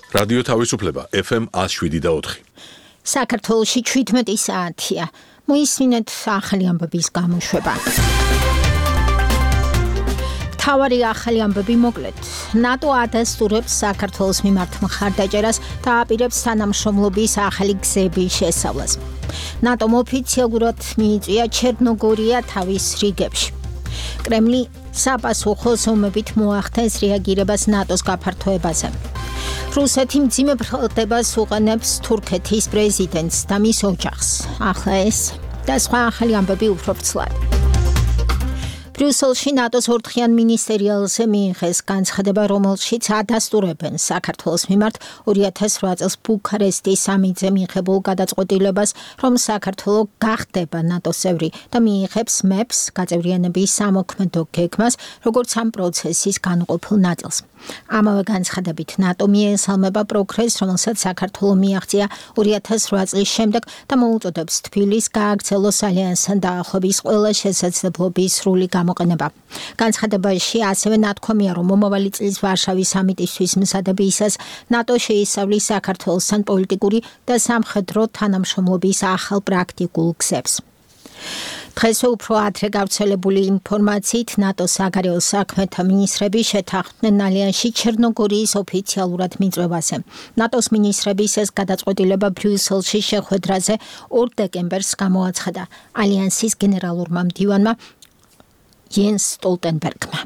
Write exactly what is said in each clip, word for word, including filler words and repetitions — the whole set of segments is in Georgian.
რადიო თავისუფლება ეფ ემ one oh seven და four. საქართველოში შვიდმეტი საათია. მოისმინეთ ახალი ამბების გამოშვება. თავარი ახალი ამბები მოკლედ. ნატო ადასტურებს საქართველოს მიმართ მხარდაჭერას და აპირებს თანამშრომლობის ახალი გზების შესწავლას. ნატომ ოფიციალურად მიიწვია ჩერნოგორია თავის რიგებში. კრემლი საპასუხო ზომებით მოახდენს რეაგირებას ნატოს გაფართოებაზე. რუსეთი მძიმე ბრალდებას უყენებს თურქეთის პრეზიდენტს და მის ოჯახს. ახლა ეს და სხვა ახალი ამბები უფრო ვრცლად. ბრიუსელში ნატოს ორთხიან მინისტერიალზე მიიღეს განცხადება, რომელშიც ადასტურებენ საქართველოს მიმართ two thousand eight წელს ბუქარესტის სამიტზე მიღებულ გადაწყვეტილებას, რომ საქართველო გახდება ნატოს წევრი და მიიღებს მეფს გაწევრიანების სამოქმედო გეგმას, როგორც ამ პროცესის განუყოფილ ნაწილს. ამავე განცხადებით ნატო მიესალმება პროგრესს, რომელსაც საქართველო მიაღწია two thousand eight წლის შემდეგ და მოუწოდებს თბილისს გააგრძელოს ალიანსთან დაახლოების ყველა შესაძლებლობის სრული გამოყენება. განცხადებაში ასევე ნათქვამია, რომ მომავალი წლის ვარშავის სამიტისთვის მზადებისას ნატო შეისწავლის საქართველოსთან პოლიტიკური და სამხედრო თანამშრომლობის ახალ პრაქტიკულ გზებს. დღეს უფრო ადრე გავრცელებული ინფორმაციით ნატოს საგარეო საქმეთა მინისტრები შეთანხმდნენ ალიანსში ჩერნოგორიის ოფიციალურად მიწვევაზე. ნატოს მინისტრების ეს გადაწყვეტილება ბრიუსელში შეხვედრაზე two დეკემბერს გამოაცხადა ალიანსის გენერალურმა მდივანმა Jens Stoltenbergმა.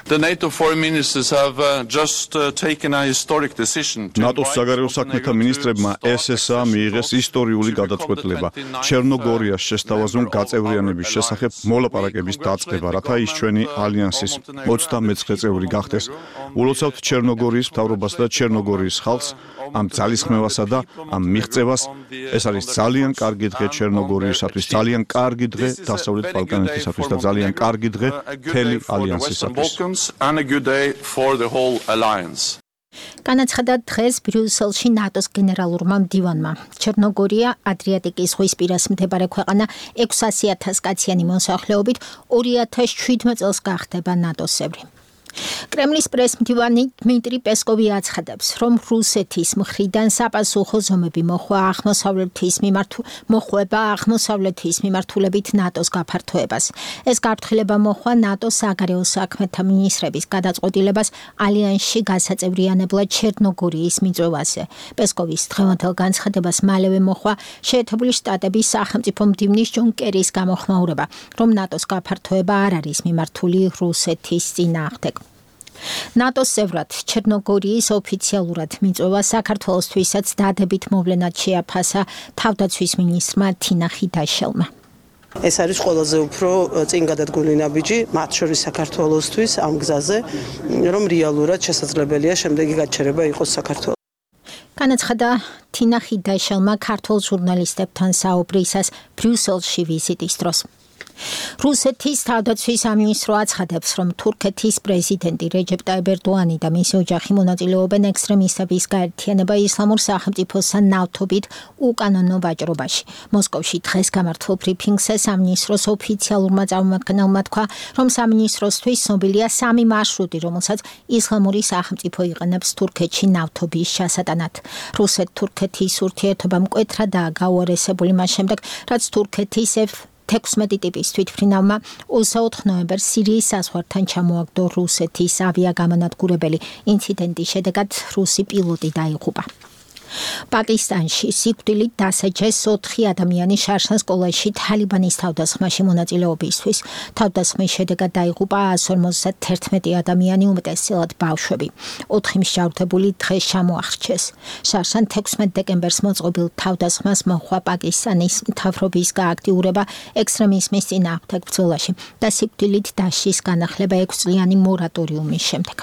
The NATO foreign ministers have uh, just uh, taken a historic decision. ნატოს საგარეო საქმეთა მინისტრებმა ეს ეს ა მიიღეს ისტორიული გადაწყვეტილება ჩერნოგორიას შესთავაზონ გაწევრიანების შესახებ მოლაპარაკების დაწყება, რათა ის ჩვენი ალიანსის ოცდამეცხრე წევრი გახდეს. ულოცავთ ჩერნოგორიის მთავრობას და ჩერნოგორიის ხალხს ამ ძალისხმევასა და ამ მიღწევას. ეს არის ძალიან კარგი დღე ჩერნოგორიისათვის, ძალიან კარგი დღე დასავლეთ ბალკანეთისათვის და ძალიან კარგი დღე მთელი ალიანსისათვის. And a good day for the whole alliance. განაცხადა დღეს ბრიუსელში ნატოს გენერალურმა მდივანმა. ჩერნოგორია ადრიატიკის ზღვის პირას მდებარე ქვეყანა six hundred thousand კაციანი მოსახლეობით two thousand seven წელს გახდება ნატოს წევრი. კრემლის პრესმდივანი დმიტრი პესკოვი აცხადებს, რომ რუსეთის მხრიდან საპასუხო ზომები მოხვა აღმოსავლეთის მიმართ მოხვება აღმოსავლეთის მიმართულებით ნატოს გაფართოებას. ეს გაფრთხილება მოხვა ნატოს საგარეო საქმეთა მინისტრების გადაწყვეტილებას ალიანსში გასაწევრიანებლად ჩერნოგორიის მიწვევაზე. პესკოვის დღევანდელ განცხადებას მალევე მოხვა შეერთებული შტატების სახელმწიფო მდივნის ჯონ კერის გამოხმაურება, რომ ნატოს გაფართოება არ არის მიმართული რუსეთის წინააღმდეგ. ნატოს წევრად ჩერნოგორიის ოფიციალურად მიწვევა საქართველოსთვისაც დადებით მოვლენად შეაფასა თავდაცვის მინისტრმა თინა ხიდაშელმა. ეს არის ყველაზე უფრო წინ გადადგმული ნაბიჯი მათ შორის საქართველოსთვის ამ გზაზე, რომ რეალურად შესაძლებელია შემდეგი გაჩერება იყოს საქართველოს. განაცხადა თინა ხიდაშელმა ქართულ ჟურნალისტებთან საუბრისას ბრიუსელში ვიზიტის დროს. რუსეთის თავდაცვის სამინისტრო აცხადებს, რომ თურქეთის პრეზიდენტი რეჯეპ ტაიპ ერდოანი და მისი ოჯახი მონაწილეობენ ექსტრემისტების გაერთიანება ისლამურ სახელმწიფოსთან ნავთობით უკანონო ვაჭრობაში. მოსკოვში დღეს გამართულ ბრიფინგზე სამინისტროს ოფიციალურმა წარმომადგენელმა თქვა, რომ სამინისტროსთვის ცნობილია სამი მარშრუტი, რომელსაც ისლამური სახელმწიფო იყენებს თურქეთში ნავთობის ჩასატანად. რუსეთ-თურქეთის ურთიერთობა მკვეთრადაა გაუარესებული მას შემდეგ, რაც თურქეთის sixteen ტიპის თვითმფრინავმა twenty-fourth ნოემბერს სირიის საზღვართან ჩამოაგდო რუსეთის ავიაგამონადგურებელი. ინციდენტის შედეგად რუსი პილოტი დაიღუპა. პაკისტანში სიკვდილით დასაჯეს ოთხი ადამიანი შარშან სკოლაში თალიბანის თავდასხმაში მონაწილეობისთვის. თავდასხმის შედეგად დაიღუპა one hundred fifty-one ადამიანი, უმეტესწილად ბავშვები. ოთხი მსჯავრდებული დღეს ჩამოახრჩეს. შარშან sixteen დეკემბერს მოწყობილ თავდასხმას მოჰყვა პაკისტანის მთავრობის გააქტიურება ექსტრემიზმის წინააღმდეგ ბრძოლაში და სიკვდილით დასჯის განახლება ექვს წლიანი მორატორიუმის შემდეგ.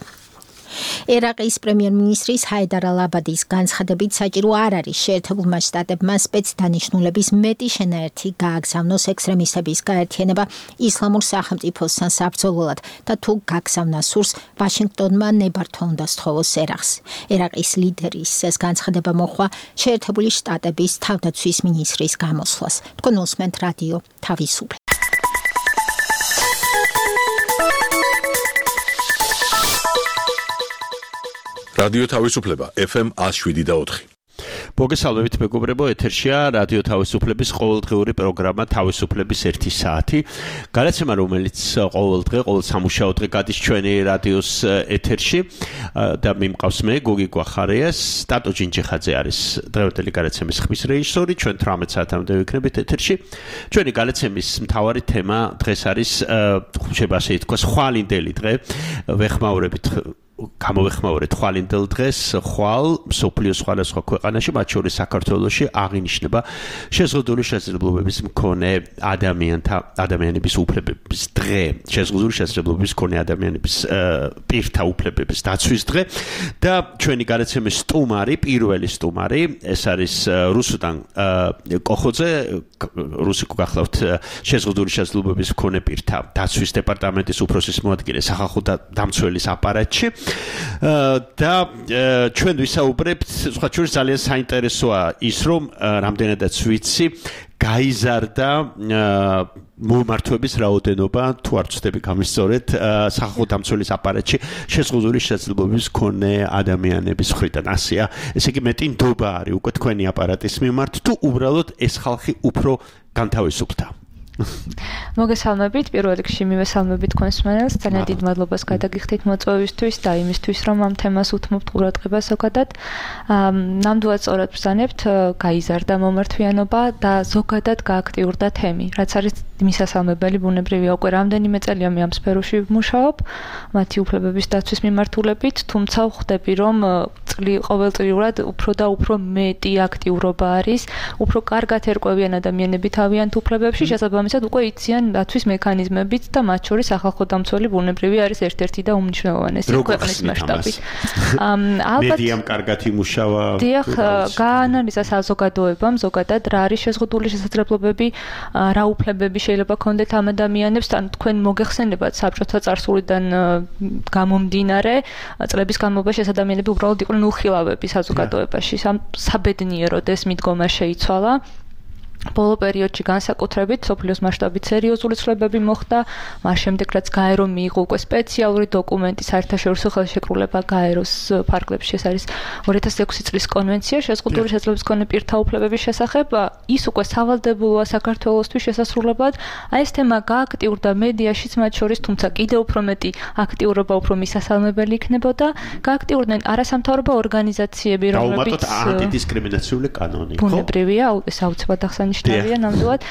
ერაყის პრემიერ-მინისტრის ჰაიდარ ალ-აბადის განცხადებით საჭირო არ არის შეერთებულმა შტატებმა სპეცდანიშნულების მეტი შენაერთი გააგზავნოს ექსტრემისტების გაერთიანება ისლამურ სახელმწიფოსთან საბრძოლველად და თუ გაგზავნა სურს, ვაშინგტონმა ნებართვა უნდა სთხოვოს ერაყს. ერაყის ლიდერის ეს განცხადება მოჰყვა შეერთებული შტატების თავდაცვის მინისტრის გამოსვლას. თქვენ უსმენთ რადიო თავისუფლება. რადიო თავისუფლება F M one oh seven და four. მოგესალმებით მეგობრებო, ეთერშია რადიო თავისუფლების ყოველდღიური პროგრამა თავისუფლების ერთი საათი. გადაცემა, რომელიც ყოველდღე, ყოველ სამუშაო დღე გადის ჩვენი რადიოს ეთერში და მიმყავს მე, გოგი გვახარიას, სტატო ჯინჯიხაძე არის დღევანდელი გადაცემის ხმის რეჟისორი, ჩვენ თვრამეტ საათამდე ვიქნებით ეთერში. ჩვენი გადაცემის მთავარი თემა დღეს არის, შეიძლება ასე ითქვას, ხვალინდელი დღე, ვეხმაურებით გამოვეხმაურეთ ხვალინდელ დღეს, ხვალ მსოფლიოს სხვადასხვა ქვეყანაში, მათ შორის საქართველოში აღინიშნება შეზღუდული შესაძლებლობების მქონე ადამიანთა ადამიანების უფლებების დღე, შეზღუდული შესაძლებლობების მქონე ადამიანების პირთა უფლებების დაცვის დღე და ჩვენი გადაცემის სტუმარი, პირველი სტუმარი, ეს არის რუსუდან კოხოძე, რუსიკო გახლავთ შეზღუდული შესაძლებლობების მქონე პირთა დაცვის დეპარტამენტის უფროსის მოადგილე სახალხო დამცველის აპარატში. და ჩვენ ვისაუბრებთ, სხვა შორის ძალიან საინტერესოა ის, რომ რამდენადაც ვიცი, გაიზარდა მომართვების რაოდენობა, თუ არ ვცდები გამისწორეთ, სახალხო დამცველის აპარატში შეზღუდული შესაძლებლობების მქონე ადამიანების მხრიდან. ასეა, ესე იგი მეტი ნდობა არის უკვე თქვენი აპარატის მიმართ, თუ უბრალოდ ეს ხალხი უფრო განთავისუფლდა. მოგესალმებით, პირველ რიგში მივესალმებით თქვენს მსმენელს, ძალიან დიდ მადლობას გადაგიხდით მოწვევისთვის და იმისთვის, რომ ამ თემას უთმობთ ყურადღებას ზოგადად. ნამდვილად სწორად ბრძანებთ, გაიზარდა მომართვიანობა და ზოგადად გააქტიურდა თემი, რაც არის მისასალმებელი, ბუნებრივია, უკვე რამდენიმე წელია მე ამ სფეროში ვმუშაობ, მათი უფლებების დაცვის მიმართულებით, თუმცა ვხვდები, რომ ყოველწლიურად უფრო და უფრო მეტი აქტიურობა არის, უფრო კარგად ერკვევიან ადამიანები თავიანთ უფლებებში, შესაბამისად უკვე იციან დაცვის მექანიზმებით და მათ შორის სახალხო დამცველი ბუნებრივი არის ერთ-ერთი და უმნიშვნელოვანესი ქვეყნის მასშტაბით. ალბათ მედიამ კარგად იმუშავა. დიახ, გაანალიზა საზოგადოებამ ზოგადად რა არის შეზღუდული შესაძლებლობები, რა უფლებები შეიძლება ქონდეთ ამ ადამიანებს, ან თქვენ მოგეხსენებათ საბჭოთა წარსულიდან გამომდინარე, წლების განმავლობაში ეს ადამიანები უბრალოდ იყვნენ უხილავები საზოგადოებაში. საბედნიეროდ ეს მიდგომა შეიცვალა. ბოლო პერიოდში განსაკუთრებით სოფლიოს მასშტაბით სერიოზული ცვლილებები მოხდა, მას შემდეგ რაც გაერომ მიიღო უკვე სპეციალური დოკუმენტი საერთაშორისო ხელშეკრულება გაეროს ფარგლებში, ეს არის ორი ათას ექვსი წლის კონვენცია შეზღუდული შესაძლებლობის მქონე პირთა უფლებების შესახებ, ის უკვე სავალდებულოა საქართველოსთვის შესასრულებლად. აი ეს თემა გააქტიურდა მედიაშიც მათ შორის, თუმცა კიდევ უფრო მეტი აქტიურობა უფრო მისასალმებელი იქნებოდა. გააქტიურდნენ არასამთავრობო ორგანიზაციები, რომლებიც ანტიდისკრიმინაციული კანონი, ხო? ბუნებრივია, ეს აუცილებლად ნიშნავია ნამდვილად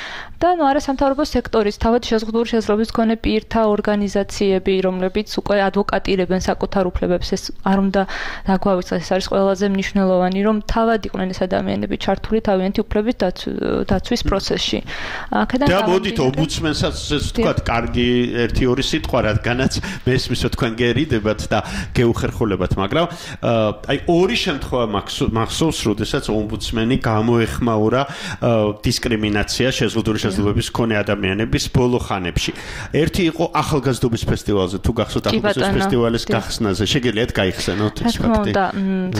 და ნუ არასამთავრობო სექტორის თავად შეზღუდული შესაძლებლობის მქონე პირთა ორგანიზაციები, რომლებიც უკვე ადვოკატირებენ საკუთარ უფლებებს, ეს არ უნდა დაგვავიწყდეს, ეს არის ყველაზე მნიშვნელოვანი, რომ თავად იყვნენ ეს ადამიანები ჩართული თავიანთი უფლების დაცვის პროცესში. და მოდით ომბუდსმენსაც ვთქვათ, კარგი ერთი ორი სიტყვა, რადგანაც მესმის რომ თქვენ გერიდებათ და გეუხერხულებათ, მაგრამ აი ორი შემთხვევა მახსოვს, როდესაც ომბუდსმენი გამოეხმაურა დისკრიმინაცია შეზღუდული შესაძლებლობის მქონე ადამიანების ბოლო ხანებში. ერთი იყო ახალგაზრდობის ფესტივალზე, თუ გახსოვთ ახალგაზრდობის ფესტივალის გახსნაზე, შეგიძლიათ გაიხსენოთ ეს ფაქტი. და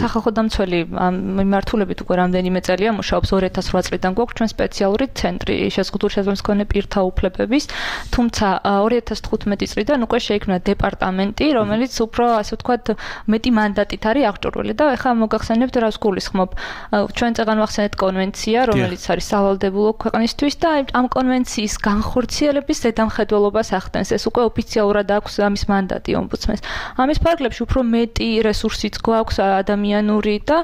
სახალხო დამცველი მიმართულებით უკვე რამდენიმე წელია მუშაობს, ორი ათას ოთხ წლიდან გვაქვს ჩვენ სპეციალური ცენტრი შეზღუდული შესაძლებლობის მქონე პირთა უფლებების, თუმცა ორი ათას თხუთმეტი წლიდან უკვე შეიქმნა დეპარტამენტი, რომელიც უფრო ასე ვთქვათ მეტი მანდატით არის აღჭურვილი და ეხლა მოგახსენებთ რას გულისხმობ. ჩვენ წეგან ვახსენეთ კონვენცია, რომელიც არის სავალდებულო ქვეყნისთვის და ამ კონვენციის განხორციელების ზედამხედველობას ახდენს. ეს უკვე ოფიციალურად აქვს ამის მანდატი ომბუდსმენს. ამის ფარგლებში უფრო მეტი რესურსიც გვაქვს ადამიანური და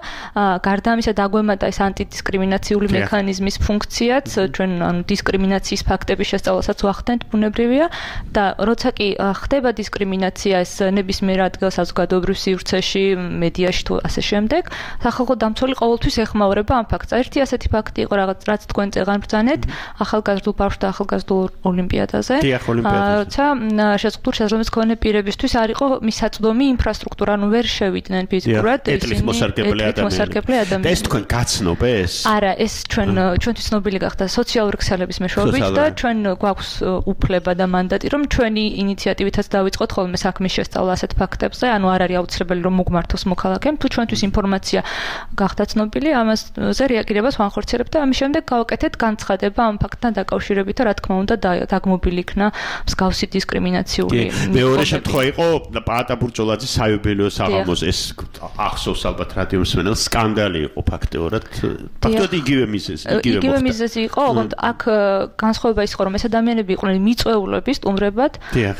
გარდა ამისა დაგვემატა ეს ანტიდისკრიმინაციული მექანიზმის ფუნქციაც, ჩვენ ანუ დისკრიმინაციის ფაქტების შესწავლასაც ვახდენთ, ბუნებრივია და როცა კი ხდება დისკრიმინაცია ეს ნებისმიერ ადგილ საზოგადოებრივ სივრცეში, მედიაში თუ ასე შემდეგ, სახალხო დამცველი ყოველთვის ეხმაურება ამ ფაქტს. ერთი ასეთი ფაქტი იყო რაღაც რაც თქვენ წეგან ბრძანეთ ახალგაზრდულ ბავშვთა ახალგაზრდულ ოლიმპიადაზე. როცა შეზღუდული შესაძლებლობის მქონე პირებისთვის არ იყო მისაწვდომი ინფრასტრუქტურა, ანუ ვერ შევიდნენ ფიზიკურად ესენი ეთნიკმოსარგებლე ადამიანები. და ეს თქვენ გაცნობ ეს? არა, ეს ჩვენ ჩვენთვის ცნობილი გახდა სოციალური ქსელების მეშვეობით და ჩვენ გვაქვს უფლება და მანდატი, რომ ჩვენი ინიციატივითაც დავიწყოთ ხოლმე საქმის შესწავლა ასეთ ფაქტებზე, ანუ არ არის აუცილებელი რომ მოგმართოს მოქალაქემ, თუ ჩვენთვის ინფორმაცია გახდა ცნობილი, ამაზე რეაგირებას ვანხორციელებთ და ამის შემდეგ გავაკეთებთ გავაკეთეთ განცხადება ამ ფაქტთან დაკავშირებით და რა თქმა უნდა დაგმობილი იქნა მსგავსი დისკრიმინაციული. მეორე შემთხვევა იყო პაატა ბურჭულაძის საიუბილეო საღამოს ეს ახსოვს ალბათ რადიო მსმენელს სკანდალი იყო ფაქტიურად. ფაქტობრივად იგივე მიზეზი, იგივე იგივე მიზეზი იყო, ოღონდ აქ განსხვავება ის იყო, რომ ეს ადამიანები იყვნენ მიწვეულები სტუმრებად,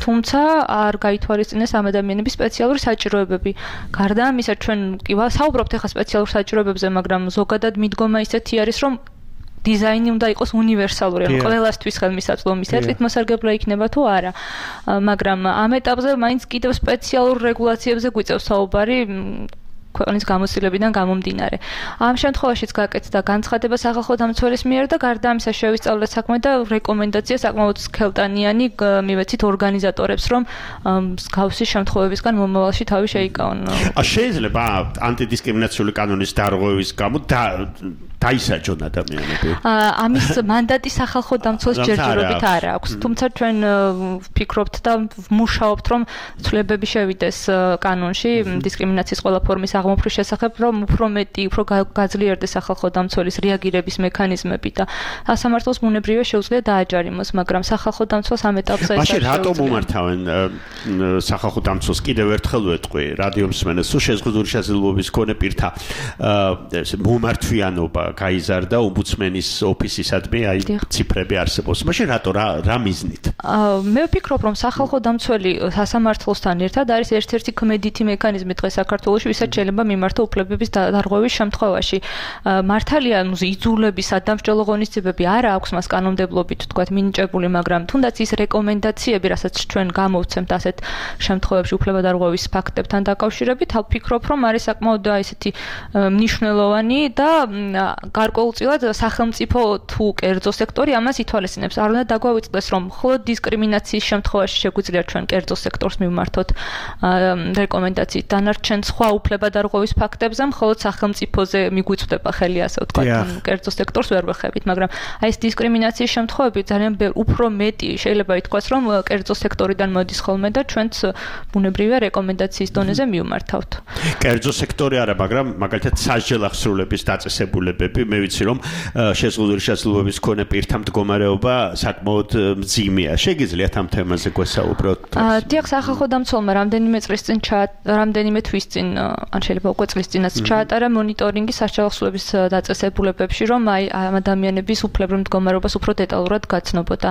თუმცა არ გაითვალისწინეს ამ ადამიანების სპეციალური საჭიროებები. გარდა ამისა, ჩვენ კი საუბრობთ ახლა სპეციალურ საჭიროებებზე, მაგრამ ზოგადად მიდგომა ისეთი არის, რომ დიზაინი უნდა იყოს უნივერსალური, ანუ ყველასთვის ხელმისაწვდომი, სერტით მოსარგებლე იქნება თუ არა. მაგრამ ამ ეტაპზე მაინც კიდევ სპეციალურ რეგულაციებზე გვიწევს საუბარი ქვეყნის გამოცდილებიდან გამომდინარე. ამ შემთხვევაშიც გაკეთდა განცხადება სახალხო დამცველის მიერ და გარდა ამისა შევისწავლეთ საქმე და რეკომენდაცია საკმაოდ სქელტანიანი მივეცით ორგანიზატორებს, რომ მსგავსი შემთხვევებისგან მომავალში თავი შეიკავონ. შეიძლება ანტიდისკრიმინაციული კანონის დარღვევის გამო დაისაჯონ ადამიანები. ამის მანდატი სახალხო დამცველს ჯერჯერობით არ აქვს. თუმცა ჩვენ ვფიქრობთ და ვმუშაობთ, რომ ცვლილებები შევიდეს კანონში დისკრიმინაციის ყველა ფორმის აღმოფხრის შესახებ, რომ უფრო მეტი, უფრო გაძლიერდეს სახალხო დამცველის რეაგირების მექანიზმები და სასამართლოს ბუნებრივია შეუძლია დააჯარიმოს, მაგრამ სახალხო დამცველს ამ ეტაპზე ეს მაშინ რატომ უმართავენ სახალხო დამცველს კიდევ ერთხელ ვეტყვი რადიო მსმენელს, თუ შეზღუდული შესაძლებლობის მქონე პირთა მომართვიანობა გაიზარდა ომბუდსმენის ოფისისადმი აი ციფრები არსებობს. მაშინ რატო რა მიზნით? მე ვფიქრობ, რომ სახალხო დამცველი სასამართლოსთან ერთად არის ერთ-ერთი ქმედითი მექანიზმი დღეს საქართველოში, ვისაც შეიძლება მიმართო უფლებების დარღვევის შემთხვევაში. მართალია, ნუ იძულების სადამსჯელო ღონისძიებები არ აქვს მას კანონმდებლობით თქვათ მინიჭებული, მაგრამ თუნდაც ის რეკომენდაციები, რასაც ჩვენ გამოვცემთ ასეთ შემთხვევებში უფლებადარღვევის ფაქტებთან დაკავშირებით, ვფიქრობ, რომ არის საკმაოდ ესეთი მნიშვნელოვანი და გარკვეულწილად სახელმწიფო თუ კერძო სექტორი ამას ითვალისწინებს. არ უნდა დაგვავიწყდეს, რომ მხოლოდ დისკრიმინაციის შემთხვევაში შეგვიძლია ჩვენ კერძო სექტორს მივმართოთ რეკომენდაციით. დანარჩენ სხვა უფლებადარღვევის ფაქტებზე მხოლოდ სახელმწიფოზე მიგვიწვდება ხელი, ასე ვთქვათ, კერძო სექტორს ვერ ვეხებით, მაგრამ აი ეს დისკრიმინაციის შემთხვევები ძალიან უფრო მეტი შეიძლება ითქვას, რომ კერძო სექტორიდან მოდის ხოლმე და ჩვენც ბუნებრივია რეკომენდაციის დონეზე მივმართავთ. კერძო სექტორი არა, მაგრამ მაგალითად სასჯელ აღსრულების დაწესებულებები, მე ვიცი, რომ შეზღუდული შესაძლებლობის მქონე პირთა მდგომარეობა საკმაოდ მძიმეა. შეგიძლიათ ამ თემაზე გვესაუბროთ? დიახ, სახალხო დამცველმა რამდენიმე წლის წინ რამდენიმე თვის წინ, ან შეიძლება უკვე წლის წინაც ჩაატარა მონიტორინგი სასჯელ აღსრულების დაწესებულებებში, რომ აი ამ ადამიანების უფლებრივ მდგომარეობას უფრო დეტალურად გაცნობოდა.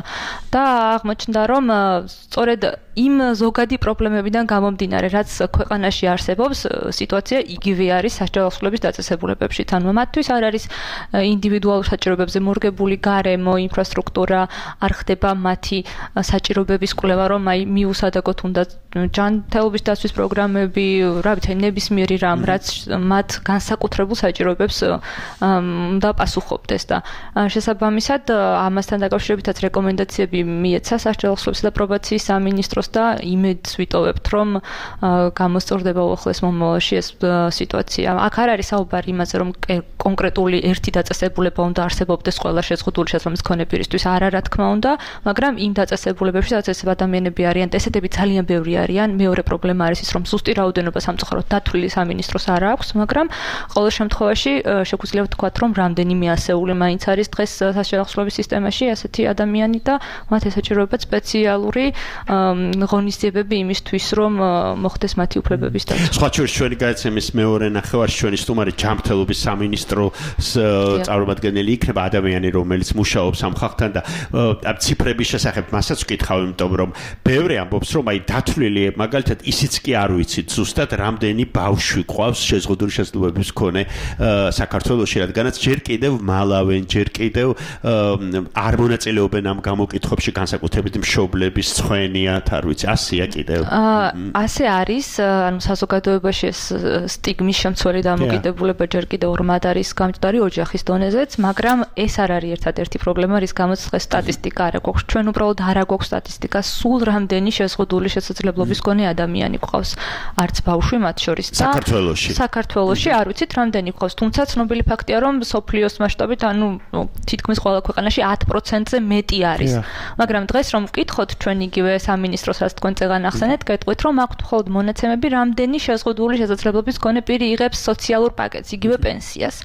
და აღმოჩნდა, რომ სწორედ იმ ზოგადი პრობლემებიდან გამომდინარე, რაც ქვეყანაში არსებობს, სიტუაცია იგივე არის სასჯელ აღსრულების დაწესებულებებში. ანუ მათთვის არ არის ინდივიდუალურ საჭიროებებზე მორგებული გარემო, ინფრასტრუქტურა, არ ხდება მათი საჭიროებების კვლევა, რომ აი მიუსადაგოთ უნდა ჯანმრთელობის დაცვის პროგრამები, რა ვიცი, ნებისმიერი რამ, რაც მათ განსაკუთრებულ საჭიროებებს უნდა პასუხობდეს და შესაბამისად ამასთან დაკავშირებითაც რეკომენდაციები მიეცა სასჯელ აღსრულებისა და პრობაციის სამინისტროს და იმედს ვიტოვებთ, რომ გამოსწორდება უახლოეს მომავალში ეს სიტუაცია. აქ არ არის საუბარი იმაზე, რომ კონკრეტული ერთი დაწესებულება უნდა არსებობდეს ყველა შეზღუდული შესაძლებლობის მქონე პირისთვის, არა რა თქმა უნდა, მაგრამ იმ დაწესებულებებში, სადაც ეს ადამიანები არიან, ესეთები ძალიან ბევრი არიან. მეორე პრობლემა არის ის, რომ ზუსტი რაოდენობა სამწუხაროდ დათვლილი სამინისტროს არ აქვს, მაგრამ ყოველ შემთხვევაში შეგვიძლია ვთქვათ, რომ რამდენიმე ასეული მაინც არის დღეს სასჯელ აღსრულების სისტემაში ასეთი ადამიანი და მათ ესაჭიროებათ სპეციალური ღონისძიებები იმისთვის, რომ მოხდეს მათი უფლებების დაცვა. სხვა შორის ჩვენი გადაცემის მეორე ნახევარში ჩვენი სტუმარი ჯანმრთელობის სამინისტროს წარმომადგენელი იქნება ადამიანი, რომელიც მუშაობს ამ ხალხთან და ციფრების შესახებ მასაც ვკითხავ, იმიტომ რომ ბევრი ამბობს, რომ აი დათვლილი მაგალითად ისიც კი არ ვიცით ზუსტად რამდენი ბავშვი ყავს შეზღუდული შესაძლებლობის მქონე საქართველოში, რადგანაც ჯერ კიდევ მალავენ, ჯერ კიდევ არ მონაწილეობენ ამ გამოკითხვებში, განსაკუთრებით მშობლების ცხენიათ, არ ვიცი, ასეა კიდევ. ასე არის, ანუ საზოგადოებაში ეს სტიგმის შემცველი დამოკიდებულება ჯერ კიდევ ორმად არის გამჭდარი ოჯახის დონეზეც, მაგრამ ეს არ არის ერთადერთი პრობლემა, რის გამოც დღეს სტატისტიკა არ აქვს. ჩვენ უბრალოდ არ აქვს სტატისტიკა, სულ რამდენი შეზღუდული შესაძლებლობა შესაძლებლობის მქონე ადამიანი გვყავს. არც ბავშვი მათ შორის და საქართველოში. საქართველოში არ ვიცით რამდენი გვყავს, თუმცა ცნობილი ფაქტია, რომ სოფლიოს მასშტაბით, ანუ თითქმის ყველა ქვეყანაში ათ პროცენტზე მეტი არის. მაგრამ დღეს რომ ვკითხოთ ჩვენ იგივე სამინისტროს რაც თქვენ წეგან ახსენეთ, გეტყვით, რომ აქვთ მხოლოდ მონაცემები, რამდენი შეზღუდული შესაძლებლობის მქონე პირი იღებს სოციალურ პაკეტს, იგივე პენსიას.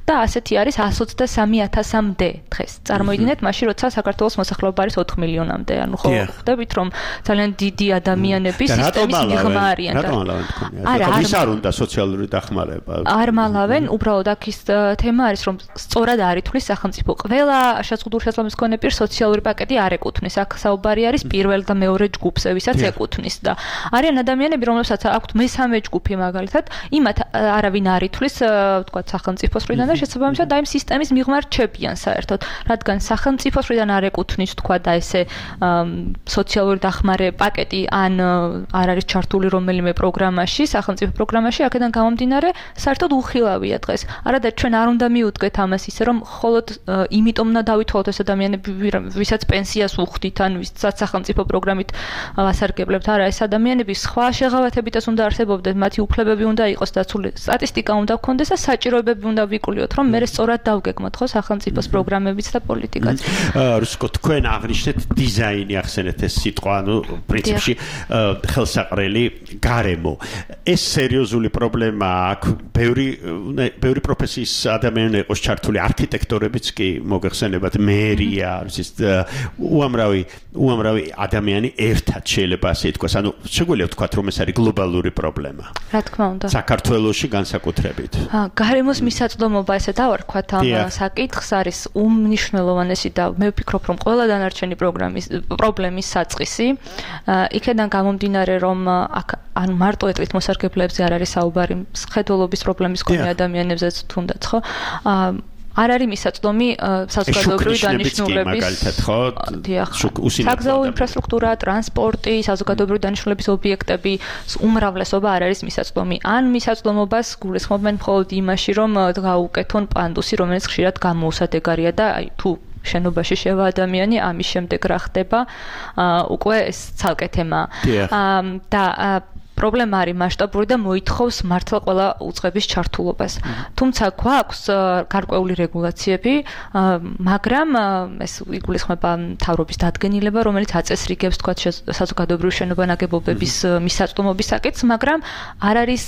და ასეთი არის εκατს ოცდასამი ათასამდე დღეს. წარმოიდგინეთ, მაშინ როცა საქართველოს მოსახლეობა არის ოთხ მილიონამდე, ანუ ხო ხვდებით, რომ ძალიან დიდი ადამიანების სისტემის მიღმა არიან. რატომ ალავენ თქვენი? არა, ვის არ უნდა სოციალური დახმარება? არ მალავენ, უბრალოდ აქ ის თემა არის, რომ სწორად არ ითვლის სახელმწიფო. ყველა შეზღუდული შესაძლებლობის მქონე პირს სოციალური პაკეტი არ ეკუთვნის. აქ საუბარი არის პირველ და მეორე ჯგუფზე, ვისაც ეკუთვნის და არიან ადამიანები, რომლებსაც აქვთ მესამე ჯგუფი მაგალითად, იმათ არავინ არ ითვლის, ვთქვათ, სახელმწიფოს მხრიდან და შესაბამისად აი სისტემის მიღმა რჩებიან საერთოდ, რადგან სახელმწიფოს მხრიდან არ ეკუთვნის, თქვა და ესე სოციალური დახმარე პაკეტი ან არ არის ჩართული რომელიმე პროგრამაში, სახელმწიფო პროგრამაში, აქედან გამომდინარე, საერთოდ უხილავია დღეს. არადა ჩვენ არ უნდა მიუდგეთ ამას ისე, რომ მხოლოდ იმიტომ უნდა დავითვალოთ ეს ადამიანები, ვისაც პენსიას უხდით, ან ვისაც სახელმწიფო პროგრამით ვასარგებლებთ. არა, ეს ადამიანები სხვა შეღავათებითაც უნდა არსებობდნენ, მათი უფლებები უნდა იყოს დაცული, სტატისტიკა უნდა გქონდეს და საჭიროებები უნდა ვიკულიოთ, რომ მე სწორად დავგეგმოთ ხო სახელმწიფოს პროგრამებიც და პოლიტიკაც. რუსკო, თქვენ აღნიშნეთ დიზაინი ახსენეთ ეს სიტყვა, ანუ პრინციპში ხელსაყრელი გარემო. ეს სერიოზული პრობლემაა აქ, ბევრი ბევრი პროფესიის ადამიანი იყოს ჩართული, არქიტექტორებიც კი მოგეხსენებათ, მერია, ის უამრავი უამრავი ადამიანი ერთად შეიძლება ასე ითქვას, ანუ შეგვიძლია ვთქვათ, რომ ეს არის გლობალური პრობლემა. რა თქმა უნდა. საქართველოში განსაკუთრებით. გარემოს მისაწვდომობა ესე დავარქვათ ამ საკითხს არის უმნიშვნელოვანესი და მე ვფიქრობ, რომ ყველა დანარჩენი პროგრამის პრობლემის საწყისი. იქედან გამომდინარე, რომ აქ ან მარტო ეტყვით მოსარგებლეებზე არ არის საუბარი, მხედველობის პრობლემის მქონე ადამიანებზეც თუნდაც, ხო? არ არის მისაწვდომი საზოგადოებრივი დანიშნულების საგზაო ინფრასტრუქტურა, ტრანსპორტი, საზოგადოებრივი დანიშნულების ობიექტები, უმრავლესობა არ არის მისაწვდომი. ან მისაწვდომობას გულისხმობენ მხოლოდ იმაში, რომ გაუკეთონ პანდუსი, რომელიც ხშირად გამოუსადეგარია და აი თუ შენობაში შევა ადამიანი, ამის შემდეგ რა ხდება, უკვე ეს ცალკე თემაა. და პრობლემა არის მასშტაბური და მოითხოვს მართლა ყველა უწყების ჩართულობას. თუმცა გვაქვს გარკვეული რეგულაციები, მაგრამ ეს იგულისხმება მთავრობის დადგენილება, რომელიც აწესრიგებს თქვა საზოგადოებრივი შენობა-ნაგებობების მისაწვდომობის საკითხს, მაგრამ არ არის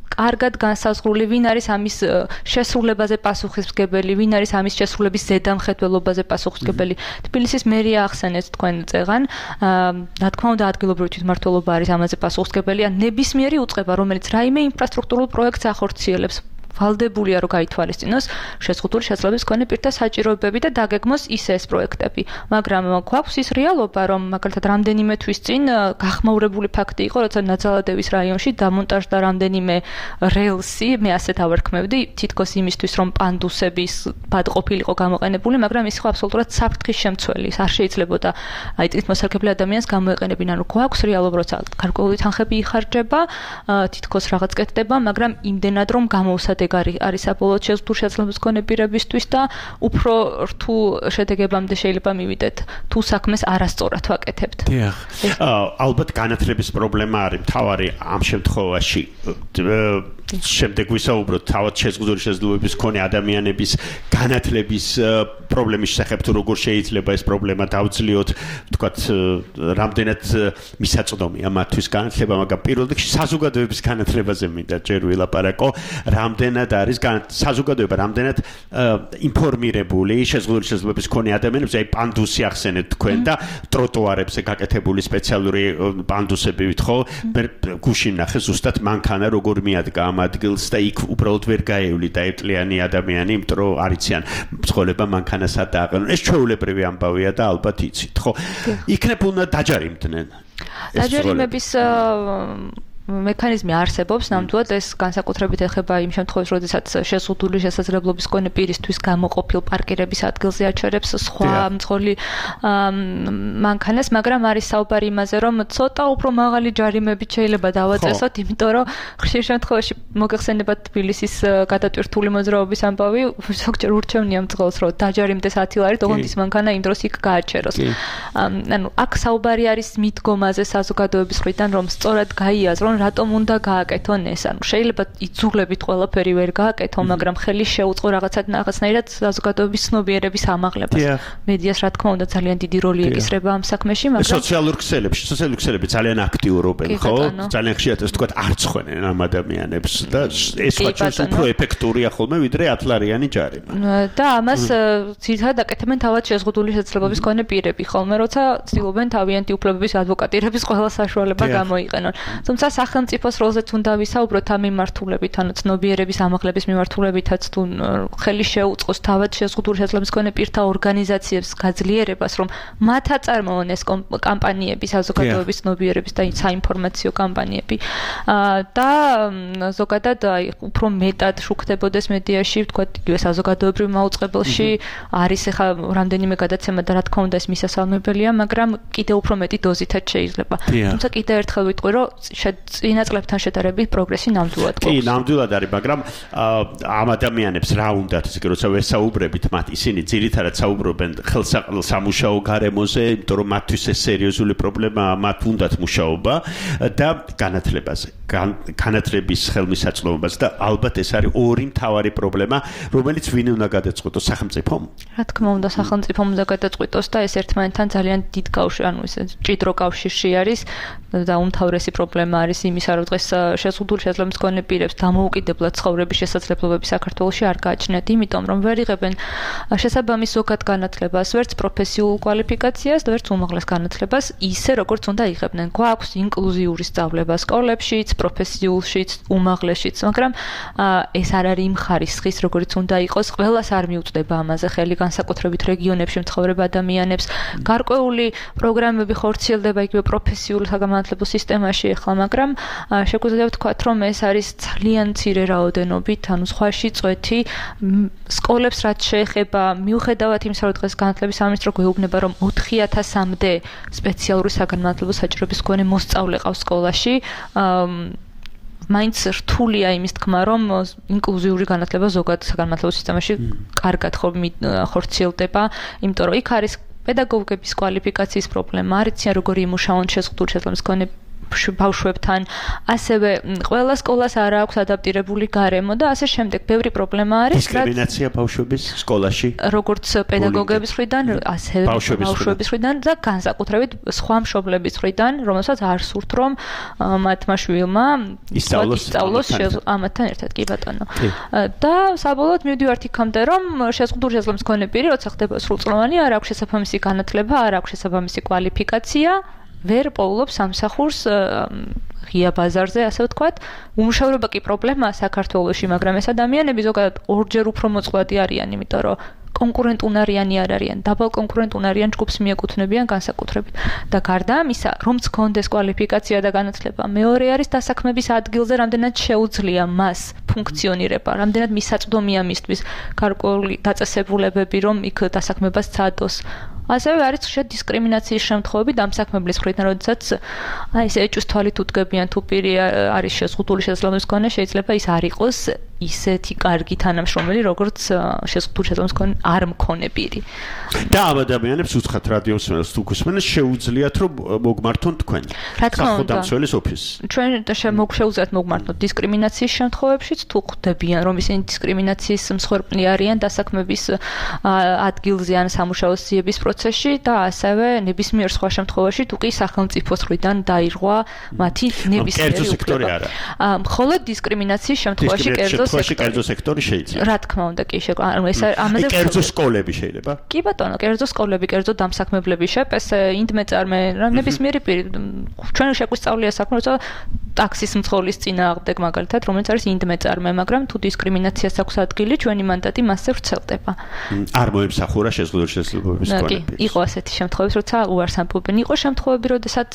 კარგად განსაზღვრული, ვინ არის ამის შესრულებაზე პასუხისმგებელი, ვინ არის ამის შესრულების ზედამხედველობაზე პასუხისმგებელი. თბილისის მერია ახსენეთ თქვენ წეგან, რა თქმა უნდა ადგილობრივი თვითმმართველობა არის ამაზე პასუხისმგებელი, ან ნებისმიერი უწყება, რომელიც რაიმე ინფრასტრუქტურულ პროექტს ახორციელებს. ვალდებულია რომ გაითვალისწინოს შეზღუდული შესაძლებლობის მქონე პირთა საჭიროებები და დაგეგმოს ისე ეს პროექტები. მაგრამ გვაქვს ის რეალობა, რომ მაგალითად რამდენიმე თვის წინ გახმაურებული ფაქტი იყო, როცა ნაძალადევის რაიონში დამონტაჟდა რამდენიმე რელსი, მე ასე დავარქმევდი, თითქოს იმისთვის, რომ პანდუსების ბად ყოფილიყო გამოყენებული, მაგრამ ის იყო აბსოლუტურად საფრთხის შემცველი. არ შეიძლებოდა აი წინმოსარგებლე ადამიანს გამოეყენებინა, რომ გვაქვს რეალობა, როცა გარკვეული თანხები იხარჯება, თითქოს რაღაც კეთდება, მაგრამ იმდენად რომ გამოუსადეგარი არის საბოლოოდ შეზღუდული შესაძლებლობის მქონე პირებისთვის და უფრო რთულ შედეგებამდე შეიძლება მივიდეთ, თუ საქმეს არასწორად ვაკეთებთ. დიახ. ალბათ განათლების პრობლემა არის მთავარი ამ შემთხვევაში. შემდეგ ვისაუბროთ თავად შეზღუდული შესაძლებლობის მქონე ადამიანების განათლების პრობლემის შესახებ, თუ როგორ შეიძლება ეს პრობლემა დავძლიოთ, ვთქვათ, რამდენად მისაწვდომია მათთვის განათლება, მაგრამ პირველ რიგში საზოგადოების განათლებაზე მინდა ჯერ ვილაპარაკო, რამდენად არის საზოგადოება, რამდენად ინფორმირებული შეზღუდული შესაძლებლობის მქონე ადამიანებს, აი პანდუსი ახსენეთ თქვენ და ტროტუარებზე გაკეთებული სპეციალური პანდუსებით, ხო? გუშინ ნახე ზუსტად მანქანა როგორ მიადგა ადგილს და იქ უბრალოდ ვერ გაევლი დაეტლიანი ადამიანი, იმიტომ რომ არიციან მძღოლება მანქანას ატაყენ. ეს ჩვეულებრივი ამბავია და ალბათ იცით, ხო? იქნებ უნდა დაჯარიმდნენ. დაჯარიმების მექანიზმი არსებობს, ნამდვილად ეს განსაკუთრებით ეხება იმ შემთხვევაში, როდესაც შეზღუდული შესაძლებლობის მქონე პირისთვის გამოყოფილ პარკირების ადგილზე აჩერებს სხვა მძღოლი მანქანას, მაგრამ არის საუბარი იმაზე, რომ ცოტა უფრო მაღალი ჯარიმებით შეიძლება დავაწესოთ, იმიტომ რომ ხშირ შემთხვევაში მოგეხსენებათ თბილისის გადატვირთული მოძრაობის ამბავი, ზოგჯერ ურჩევნია მძღოლს, რომ დაჯარიმდეს ათი ლარით, ოღონდ ის მანქანა იმ დროს იქ გააჩეროს. ანუ აქ საუბარი არის მიდგომაზე საზოგადოების მხრიდან, რომ სწორად გაიაზრონ, რატომ უნდა გააკეთონ ეს. ანუ შეიძლება იძულებით ყველაფერი ვერ გააკეთონ, მაგრამ ხელი შეუწყო რაღაცნაირად საზოგადოების ცნობიერების ამაღლებას. მედიას რა თქმა უნდა ძალიან დიდი როლი ეკისრება ამ საქმეში, მაგრამ სოციალურ ქსელებში, სოციალური ქსელები ძალიან აქტიურობენ, ხო? ძალიან ხშირად ეს თქვა არცხვენენ ამ ადამიანებს და ეს ვაჭრობს უფრო ეფექტურია ხოლმე ვიდრე ათლარიანი ჯარიმა. და ამას ძირითადად აკეთებენ თავად შეზღუდული შესაძლებლობის მქონე პირები, ხოლმე როცა ცდილობენ თავიანთი უფლებების ადვოკატირების ყველა საშუალება გამოიყენონ. თუმცა სახელმწიფოს როლზეც უნდა ვისაუბროთ ამ მიმართულებით, ანუ ცნობიერების ამაღლების მიმართულებითაც თუ ხელი შეუწყოს თავად შეზღუდული შესაძლებლობის მქონე პირთა ორგანიზაციებს გაძლიერებას, რომ მათ აწარმოონ ეს კამპანიები, საზოგადოების ცნობიერების და საინფორმაციო კამპანიები. და ზოგადად უფრო მეტად შუქდებოდეს მედიაში, ვთქვათ, იგივე საზოგადოებრივ მაუწყებელში არის ახლა რამდენიმე გადაცემა და რა თქმა უნდა ეს მისასალმებელია, მაგრამ კიდევ უფრო მეტი დოზითაც შეიძლება. თუმცა კიდევ ერთხელ ვიტყვი, რომ წინა წლებთან შედარებით პროგრესი ნამდვილად გვაქვს. კი, ნამდვილად არის, მაგრამ ამ ადამიანებს რა უნდათ, ისე როცა ვესაუბრებით მათ, ისინი ძირითადად საუბრობენ ხელსამუშაო გარემოზე, იმიტომ რომ მათთვის ეს სერიოზული პრობლემაა, მათ უნდათ მუშაობა და განათლებაზე, განათლების ხელმისაწვდომობაზე და ალბათ ეს არის ორი მთავარი პრობლემა, რომელიც ვინ უნდა გადაწყვეტოს, სახელმწიფომ? რა თქმა უნდა, სახელმწიფომ უნდა გადაწყვეტოს და ეს ერთმანეთთან ძალიან დიდ კავშირში, ანუ ეს ჭიდრო კავშირში არის და უმთავრესი პრობლემა არის იმისა, რომ დღეს შეზღუდული შესაძლებლობის მქონე პირებს დამოუკიდებლად ცხოვრების შესაძლებლობები საქართველოში არ გააჩნიათ, იმიტომ რომ ვერ იღებენ შესაბამის ზოგად განათლებას, ვერც პროფესიულ კვალიფიკაციას და ვერც უმაღლეს განათლებას ისე, როგორც უნდა იღებდნენ. გვაქვს ინკლუზიური სწავლება სკოლებშიც, პროფესიულშიც, უმაღლესშიც, მაგრამ ეს არ არის იმ ხარისხის, როგორც უნდა იყოს, ყველას არ მიუწვდება ამაზე ხელი, განსაკუთრებით რეგიონებში მცხოვრებ ადამიანებს. გარკვეული პროგრამები ხორციელდება იგივე პროფესიულ საგანმანათლებლო სისტემაში ახლა, მაგრამ შეგვიძლია ვთქვათ, რომ ეს არის ძალიან მცირე რაოდენობით, ანუ სხვაში წვეთი სკოლებს რაც შეეხება, მიუხედავად იმისა, რომ დღეს განათლების სამინისტრო გვეუბნება, რომ ოთხი ათასამდე სპეციალური საგანმანათლებლო საჭიროების მქონე მოსწავლე ყავს სკოლაში, მაინც რთულია იმის თქმა, რომ ინკლუზიური განათლება ზოგად საგანმანათლებლო სისტემაში კარგად ხორციელდება, იმიტომ რომ იქ არის პედაგოგების კვალიფიკაციის პრობლემა, არიციან როგორი იმუშაონ შეზღუდული შესაძლებლობის მქონე ბავშვებთან, ასევე ყველა სკოლას არ აქვს ადაპტირებული გარემო და ასე შემდეგ. ბევრი პრობლემა არის. დისკრიმინაცია ბავშვების სკოლაში, როგორც პედაგოგების მხრიდან, ასევე ბავშვების მხრიდან და განსაკუთრებით სხვა მშობლების მხრიდან, რომელსაც არ სურთ, რომ მათმა შვილმა ისწავლოს ამათთან ერთად, კი ბატონო. და საბოლოოდ მივდივართ იქამდე, რომ შეზღუდული შესაძლებლობის მქონე პირი, როცა ხდება სრულწლოვანი, არ აქვს შესაბამისი განათლება, არ აქვს შესაბამისი კვალიფიკაცია, ვერ პოულობს სამსახურს ღია ბაზარზე, ასე ვთქვათ. უმუშავრობა კი პრობლემაა საქართველოში, მაგრამ ეს ადამიანები ზოგადად ორჯერ უფრო მოწყვლადი არიან, იმიტომ რომ კონკურენტუნარიანი არ არიან, დაბალ კონკურენტუნარიან ჯგუფს მიეკუთვნებიან განსაკუთრებით. და გარდა ამისა, რომც კონდეს კვალიფიკაცია და განათლება, მეორე არის დასაქმების ადგილზე რამდენად შეუძლია მას ფუნქციონირება, რამდენად მისაწვდომია მისთვის გარკვეული დაწესებულებები, რომ იქ დასაქმებას ცადოს. ასევე არის ხშირად დისკრიმინაციის შემთხვევები დამსაქმებლის მხრიდან, როდესაც აი ეს ეჭვს თვალით უდგებიან, თუ პირი არის შეზღუდული შესაძლებლობის მქონე, შეიძლება ის არ იყოს ისეთი კარგი თანამშრომელი, როგორც შეზღუდული შესაძლებლობის მქონე არ მქონე პირი. და ამ ადამიანებს უცხად რადიოს თუ გუსმენთ, შეუძლიათ რომ მოგმართონ თქვენ. რა თქმა უნდა, სახელმწიფოს ოფისს. ჩვენ შემოგშეუძლიათ მოგმართოთ დისკრიმინაციის შემთხვევებშიც, თუ ხვდებიან, რომ ისინი დისკრიმინაციის მსხვერპლი არიან დასაქმების ადგილზე ან სამუშაო სიების პროცესში და ასევე ნებისმიერ სხვა შემთხვევაში, თუ კი სახელმწიფოს მხრიდან დაირღვა მათი ნებისმიერი უფლება. მხოლოდ დისკრიმინაციის შემთხვევაში კერძო შემთხვევაში კერძო სექტორი შეიძლება. რა თქმა უნდა, კი შეგვიძლია. ანუ ეს ამაზე კერძო სკოლები შეიძლება. კი ბატონო, კერძო სკოლები, კერძო დამსაქმებლები შეპეს, ინდმეწარმე, ნებისმიერი პირი. ჩვენ შეგვისწავლია საქმე, როცა ტაქსის მძღოლის წინააღმდეგ მაგალითად, რომელიც არის ინდმეწარმე, მაგრამ თუ დისკრიმინაციას აქვს ადგილი, ჩვენი მანდატი მასზე ვრცელდება. არ მოემსახურა შეზღუდული შესაძლებლობების კონეპი. იყო ასეთი შემთხვევები, როცა უარს ამბობენ. იყო შემთხვევები, როდესაც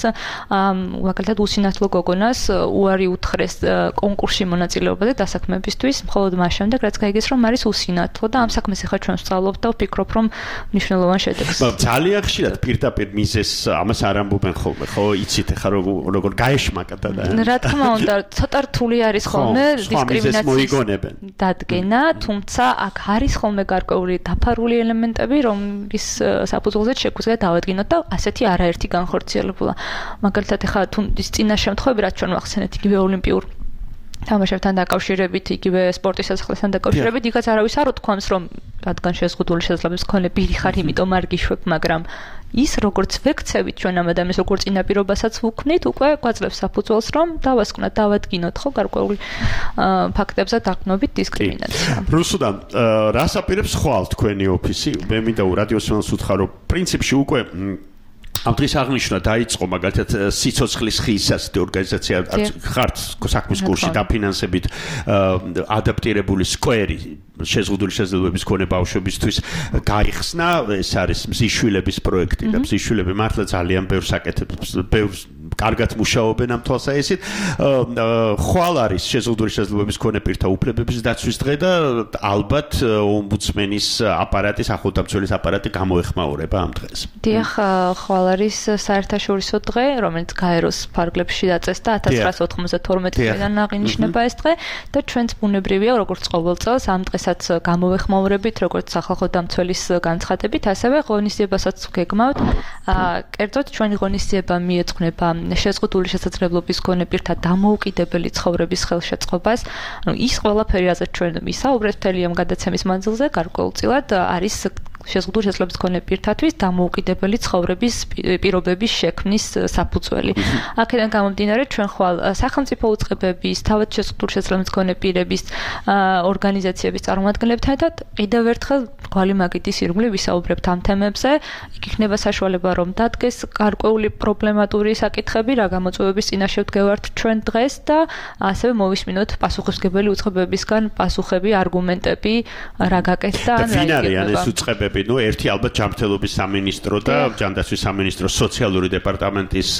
მაგალითად უსინათლო გოგონას უარი უთხრეს კონკურსში მონაწილეობაზე დასაქმებისთვის, მხოლოდ მას შემდეგ, რაც გაიგეს, რომ არის უსინათლო და ამ საქმეს ახლა ჩვენ ვსწავლობთ და ვფიქრობ, რომ მნიშვნელოვან შედეგს. ძალიან ხშირად პირდაპირ მიზეს ამას არ ამბობენ ხოლმე, ხო? იცით ახლა როგორ გაეშმაკდა და რა თქმა უნდა, ცოტა რთული არის ხოლმე დისკრიმინაციის დადგენა, თუმცა აქ არის ხოლმე გარკვეული დაფარული ელემენტები, რომლის საფუძველზე შეგვიძლია დავადგინოთ და ასეთი არაერთი განხორციელებულა. მაგალითად, ახლა თუ ის წინა შემთხვევები, რაც ჩვენ ვახსენეთ, იგივე ოლიმპიურ თამაშებთან დაკავშირებით, იგივე სპორტის სასახლესთან დაკავშირებით, იქაც არავის არ უთქვამს, რომ რადგან შეზღუდული შესაძლებლობის მქონე პირი ხარ, იმიტომ არ გიშვებ, მაგრამ ის როგორც ვექცევით ჩვენ ამ ადამიანს როგორც წინაპირობასაც ვუქმნით, უკვე გვაძლევს საფუძველს, რომ დავასკვნათ, დავადგინოთ ხო გარკვეული ფაქტებზე დაყრდნობით დისკრიმინაცია. რუსუდა, რას აპირებს ხვალ თქვენი ოფისი? მე მინდა რადიოსმენელს უთხრა, რომ პრინციპში უკვე ამ დღის აღნიშვნა დაიწყო მაგალითად სიცოცხლის ხის ასეთი ორგანიზაცია ხართ საქმის კურსში დაფინანსებით ადაპტირებული სკვერი შეზღუდული შესაძლებლობების მქონე ბავშვებისთვის გაიხსნა. ეს არის მზიშვილების პროექტი და მზიშვილები მართლა ძალიან ბევრს აკეთებს, ბევრს კარგად მუშაობენ ამ თვალსაჩინო. ხვალ არის შეზღუდული შესაძლებლობების მქონე პირთა უფლებების დაცვის დღე და ალბათ ომბუდსმენის აპარატის, ახლოდამცველის აპარატი გამოეხმაურება ამ დღეს. დიახ, ხვალ არის საერთაშორისო დღე, რომელიც გაეროს ფარგლებში დაწესდა ათას ცხრაას ოთხმოცდათორმეტი წლიდან აღინიშნება ეს დღე და ჩვენც ბუნებრივია, როგორც ყოველ წელს ამ დღესაც გამოვეხმაურებით, როგორც სახალხო დამცველის განცხადებით, ასევე ღონისძიებასაც გეგმავთ. კერძოდ ჩვენი ღონისძიება მიეძღვნება შეზღუდული შესაძლებლობის მქონე პირთა დამოუკიდებელი ცხოვრების ხელშეწყობას. ანუ ის ყველაფერი, რაზეც ჩვენ ვისაუბრეთ მთელი ამ გადაცემის მანძილზე, გარკვეულწილად არის შეზღუდული შესაძლებლობის მქონე პირთათვის დამოუკიდებელი ცხოვრების პირობების შექმნის საფუძველი. აქედან გამომდინარე, ჩვენ ხვალ სახელმწიფო უწყებების, თავად შეზღუდული შესაძლებლობის მქონე პირების ორგანიზაციების წარმომადგენლებთან ერთად კიდევ ერთხელ გვალი მაგიდის ირგვლივ ვისაუბრებთ ამ თემებზე. იქ იქნება საშუალება, რომ დადგეს გარკვეული პრობლემატური საკითხები, რა გამოწვევების წინაშე ვდგევართ ჩვენ დღეს და ასევე მოვისმინოთ პასუხისმგებელი უწყებებისგან პასუხები, არგუმენტები, რა გაკეთდა ან რა იგებება. ნუ ერთი ალბათ ჯანმრთელობის სამინისტრო და ჯანდაცვის სამინისტროს სოციალური დეპარტამენტის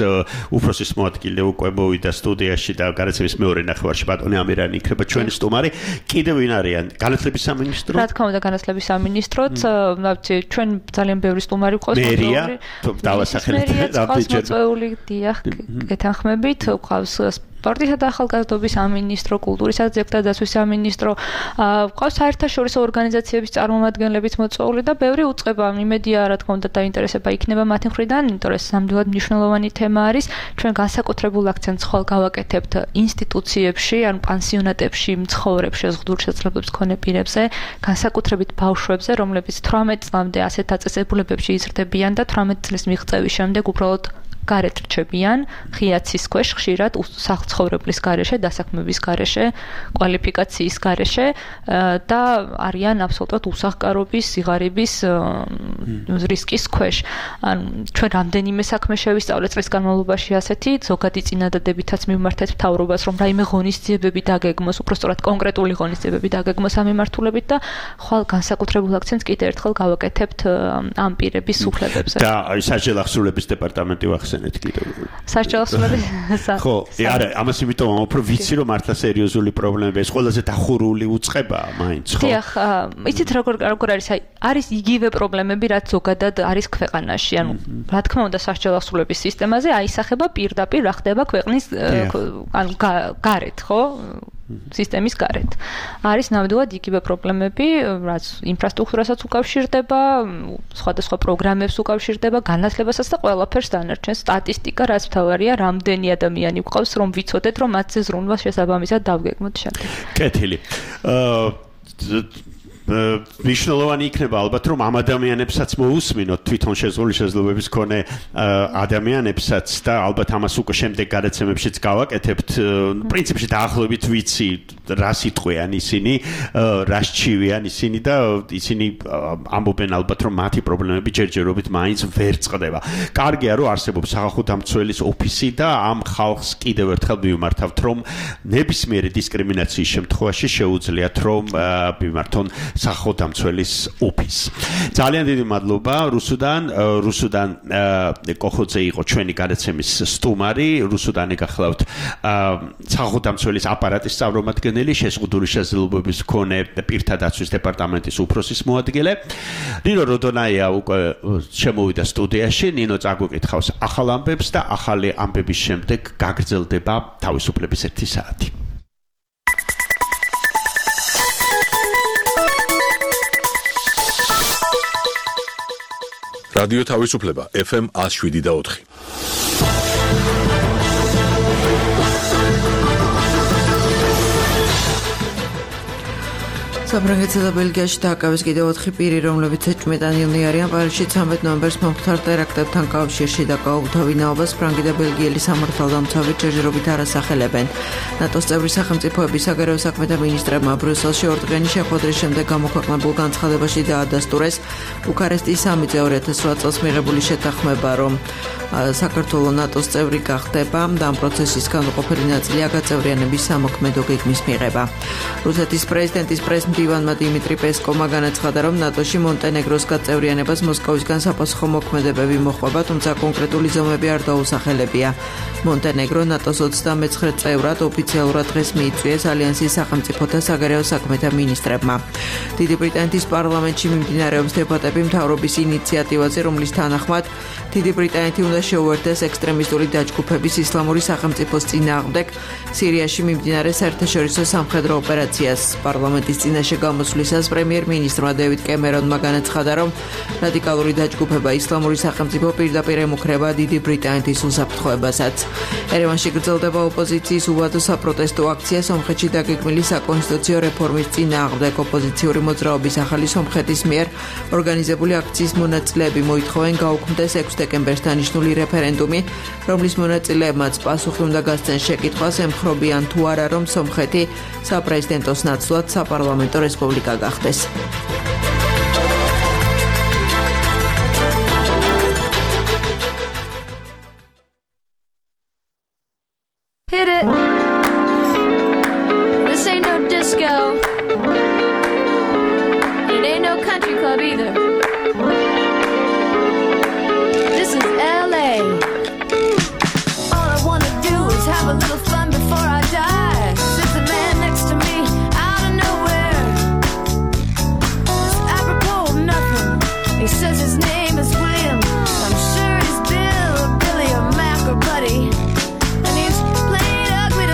უფროსის მოადგილე უკვე მოვიდა სტუდიაში და განაცემის მეორე ნახევარში ბატონი ამირანი იქნება ჩვენი სტუმარი. კიდევ ვინ არიან? განათლების სამინისტრო? რა თქმა უნდა, განათლების სამინისტროც, ნაცი ჩვენ ძალიან ბევრი სტუმარი ვყავს. მერია, დავასახელეთ რამდენჯერ. მოწვეული, დიახ, გეთანხმებით, ვყავს სპორტისა და ახალგაზრდობის სამინისტრო, კულტურისა და ძეგლთა დაცვის სამინისტრო, ვყავს საერთაშორისო ორგანიზაციების წარმომადგენლებიც მოწვეული და ბევრი უწყება. იმედია, რა თქმა უნდა, დაინტერესება იქნება მათი მხრიდან, იმიტომ რომ ეს ნამდვილად მნიშვნელოვანი თემა არის. ჩვენ განსაკუთრებულ აქცენტს ხვალ გავაკეთებთ ინსტიტუციებში, ან პანსიონატებში მცხოვრებ შეზღუდული შესაძლებლობის მქონე პირებზე, განსაკუთრებით ბავშვებზე, რომლებიც თვრამეტ წლამდე ასეთ დაწესებულებებში იზრდებიან და თვრამეტ წლის მიღწევის შემდეგ უბრალოდ გარეთ რჩებიან, ღიაცის ქვეშ ხშირად საცხოვრებლის გარეშე, დასაქმების გარეშე, კვალიფიკაციის გარეშე და არიან აბსოლუტურად უსახკარობის, სიღარიბის რისკის ქვეშ. ანუ ჩვენ რამდენიმე საქმე შევისწავლეთ წლის განმავლობაში ასეთი, ზოგადი წინადადებითაც მივმართეთ მთავრობას, რომ რაიმე ღონისძიებები დაგეგმოს, უბრალოდ კონკრეტული ღონისძიებები დაგეგმოს ამ მიმართულებით და ხვალ განსაკუთრებულ აქცენტს კიდევ ერთხელ გავაკეთებთ ამ პირების უფლებებზე. და საჯარო ახსნილების დეპარტამენტი ვახსენეთ. საჯარო ახსნილების ხო, არა, ამას იმიტომ უფრო ვიცი რომ მართლა სერიოზული პრობლემები ეს ყველაზე დახურული უწყებაა მაინც, ხო? დიახ, იცით როგორ როგორ არის, აი, არის იგივე პრობლემები, რაც ზოგადად არის ქვეყანაში. ანუ, რა თქმა უნდა, საჯარო ახსნილების სისტემაზე აისახება პირდაპირ რა ხდება ქვეყნის ანუ გარეთ, ხო? სისტემის გარეთ. არის ნამდვილად იგივე პრობლემები, რაც ინფრასტრუქტურასაც უკავშირდება, სხვადასხვა პროგრამებს უკავშირდება, განათლებასაც და ყველაფერს დანარჩენს. სტატისტიკა, რაც მთავარია, რამდენი ადამიანი გვყავს, რომ ვიცოდეთ, რომ მათზე ზრუნვა შესაბამისად დავგეგმოთ შემდეგ. კეთილი. აა მნიშვნელოვანი იქნება ალბათ რომ ამ ადამიანებსაც მოусმინოთ თვითონ შეზღუდული შესაძლებლობების მქონე ადამიანებსაც და ალბათ ამას უკვე შემდეგ გადაცემებშიც გავაკეთებთ პრინციპში დაახლოებით ვიცი რა სიტყვიან ისინი რა სჩივიან ისინი და ისინი ამბობენ ალბათ რომ მათი პრობლემები ჯერჯერობით მაინც ვერ წყდება კარგია რომ არსებობს სახალხო-დამცველის ოფისი და ამ ხალხს კიდევ ერთხელ ვიმართავთ რომ ნებისმიერი დისკრიმინაციის შემთხვევაში შეუძლიათ რომ მიმართონ სახალხო-დამცველის ოფისს. ძალიან დიდი მადლობა რუსუდან რუსუდან კოხოძე იყო ჩვენი გადაცემის სტუმარი რუსუდანი გახლავთ სახალხო-დამცველის აპარატის წარმომადგენელი შეზღუდული შესაძლებლობების მქონე პირთა დაცვის დეპარტამენტის უფროსის მოადგილე ნინო როდონაია უკვე შემოვიდა სტუდიაში ნინო წაგვიკითხავს ახალ ამბებს და ახალი ამბების შემდეგ გაგრძელდება თავისუფლების ერთი საათი რადიო თავისუფლება ეფ ემ one oh seven და four საფრანგეთსა და ბელგიაში დააკავეს კიდევ ოთხი პირი, რომლებიც ეჭვმეტანილნი არიან პარიზში ცამეტ ნოემბერს მომხდარ ტერაქტებთან კავშირში დაკავებულ ვინაობას ფრანგი და ბელგიელი სამართალდამცავი ჯერჯერობით არასახელებენ. ნატოს წევრი სახელმწიფოების საგარეო საქმეთა მინისტრებმა ბრიუსელში ორდღიანი შეხვედრის შემდეგ გამოქვეყნებულ განცხადებაში დაადასტურეს ბუქარესტის სამი ორი ათას opt წელს მიღებული შეთანხმება, რომ საქართველო ნატოს წევრი გახდება და ამ პროცესის განუყოფელი ნაწილია გაწევრიანების სამოქმედო გეგმის მიღება. რუსეთის პრეზიდენტის პრესმდივანმა დიმიტრი პესკოვმა განაცხადა, რომ ნატოში მონტენეგროს გაწევრიანებას მოსკოვისგან საფასუხო მოქმედებები მოჰყვება, თუმცა კონკრეტული ზომები არ დაუსახელებია. მონტენეგრო ნატოს ოცდამეცხრე წევრად ოფიციალურად დღეს მიიწვიეს ალიანსის სახელმწიფოთა საგარეო საქმეთა მინისტრებმა. დიდი ბრიტანეთის პარლამენტში მიმდინარეობს დებატები მთავრობის ინიციატივაზე, რომლის თანახმად დიდი ბრიტანეთი უნდა შეუერთდეს ექსტრემისტული დაჯგუფების ისლამური სახელმწიფოს წინააღმდეგ სირიაში მიმდინარე საერთაშორისო სამხედრო ოპერაციას. პარლამენტის წინაშე გამოსვლისას პრემიერ-მინისტრმა დევიდ კემერონმა განაცხადა, რომ რადიკალური დაჯგუფება ისლამური სახელმწიფო პირდაპირ ემუქრება დიდი ბრიტანეთის უსაფრთხოებასაც. ერევანში გრძელდება ოპოზიციის უვადო საპროტესტო აქცია სომხეთში დაგეგმილი საკონსტიტუციო რეფორმის წინააღმდეგ. ოპოზიციური მოძრაობის ახალი სომხეთის მიერ ორგანიზებული აქციის მონაწილეები მოითხოვენ გაუქმდეს ექვსი დეკემბერს დანიშნული რეფერენდუმი, რომლის მონაწილეებმაც პასუხი უნდა გასცენ შეკითხვას, ემხრობიან თუ არა, რომ სომხეთი საპრეზიდენტოს ნაცვლად საპარლამენტო რესპუბლიკა გახდეს. Hit it. This ain't no disco. It ain't no country club either. This is L A. All I wanna do is have a little fun before I die. There's a man next to me out of nowhere. It's apropos of nothing. He says his name is William. I'm sure he's Bill or Billy or Mac or Buddy. And he's playing ugly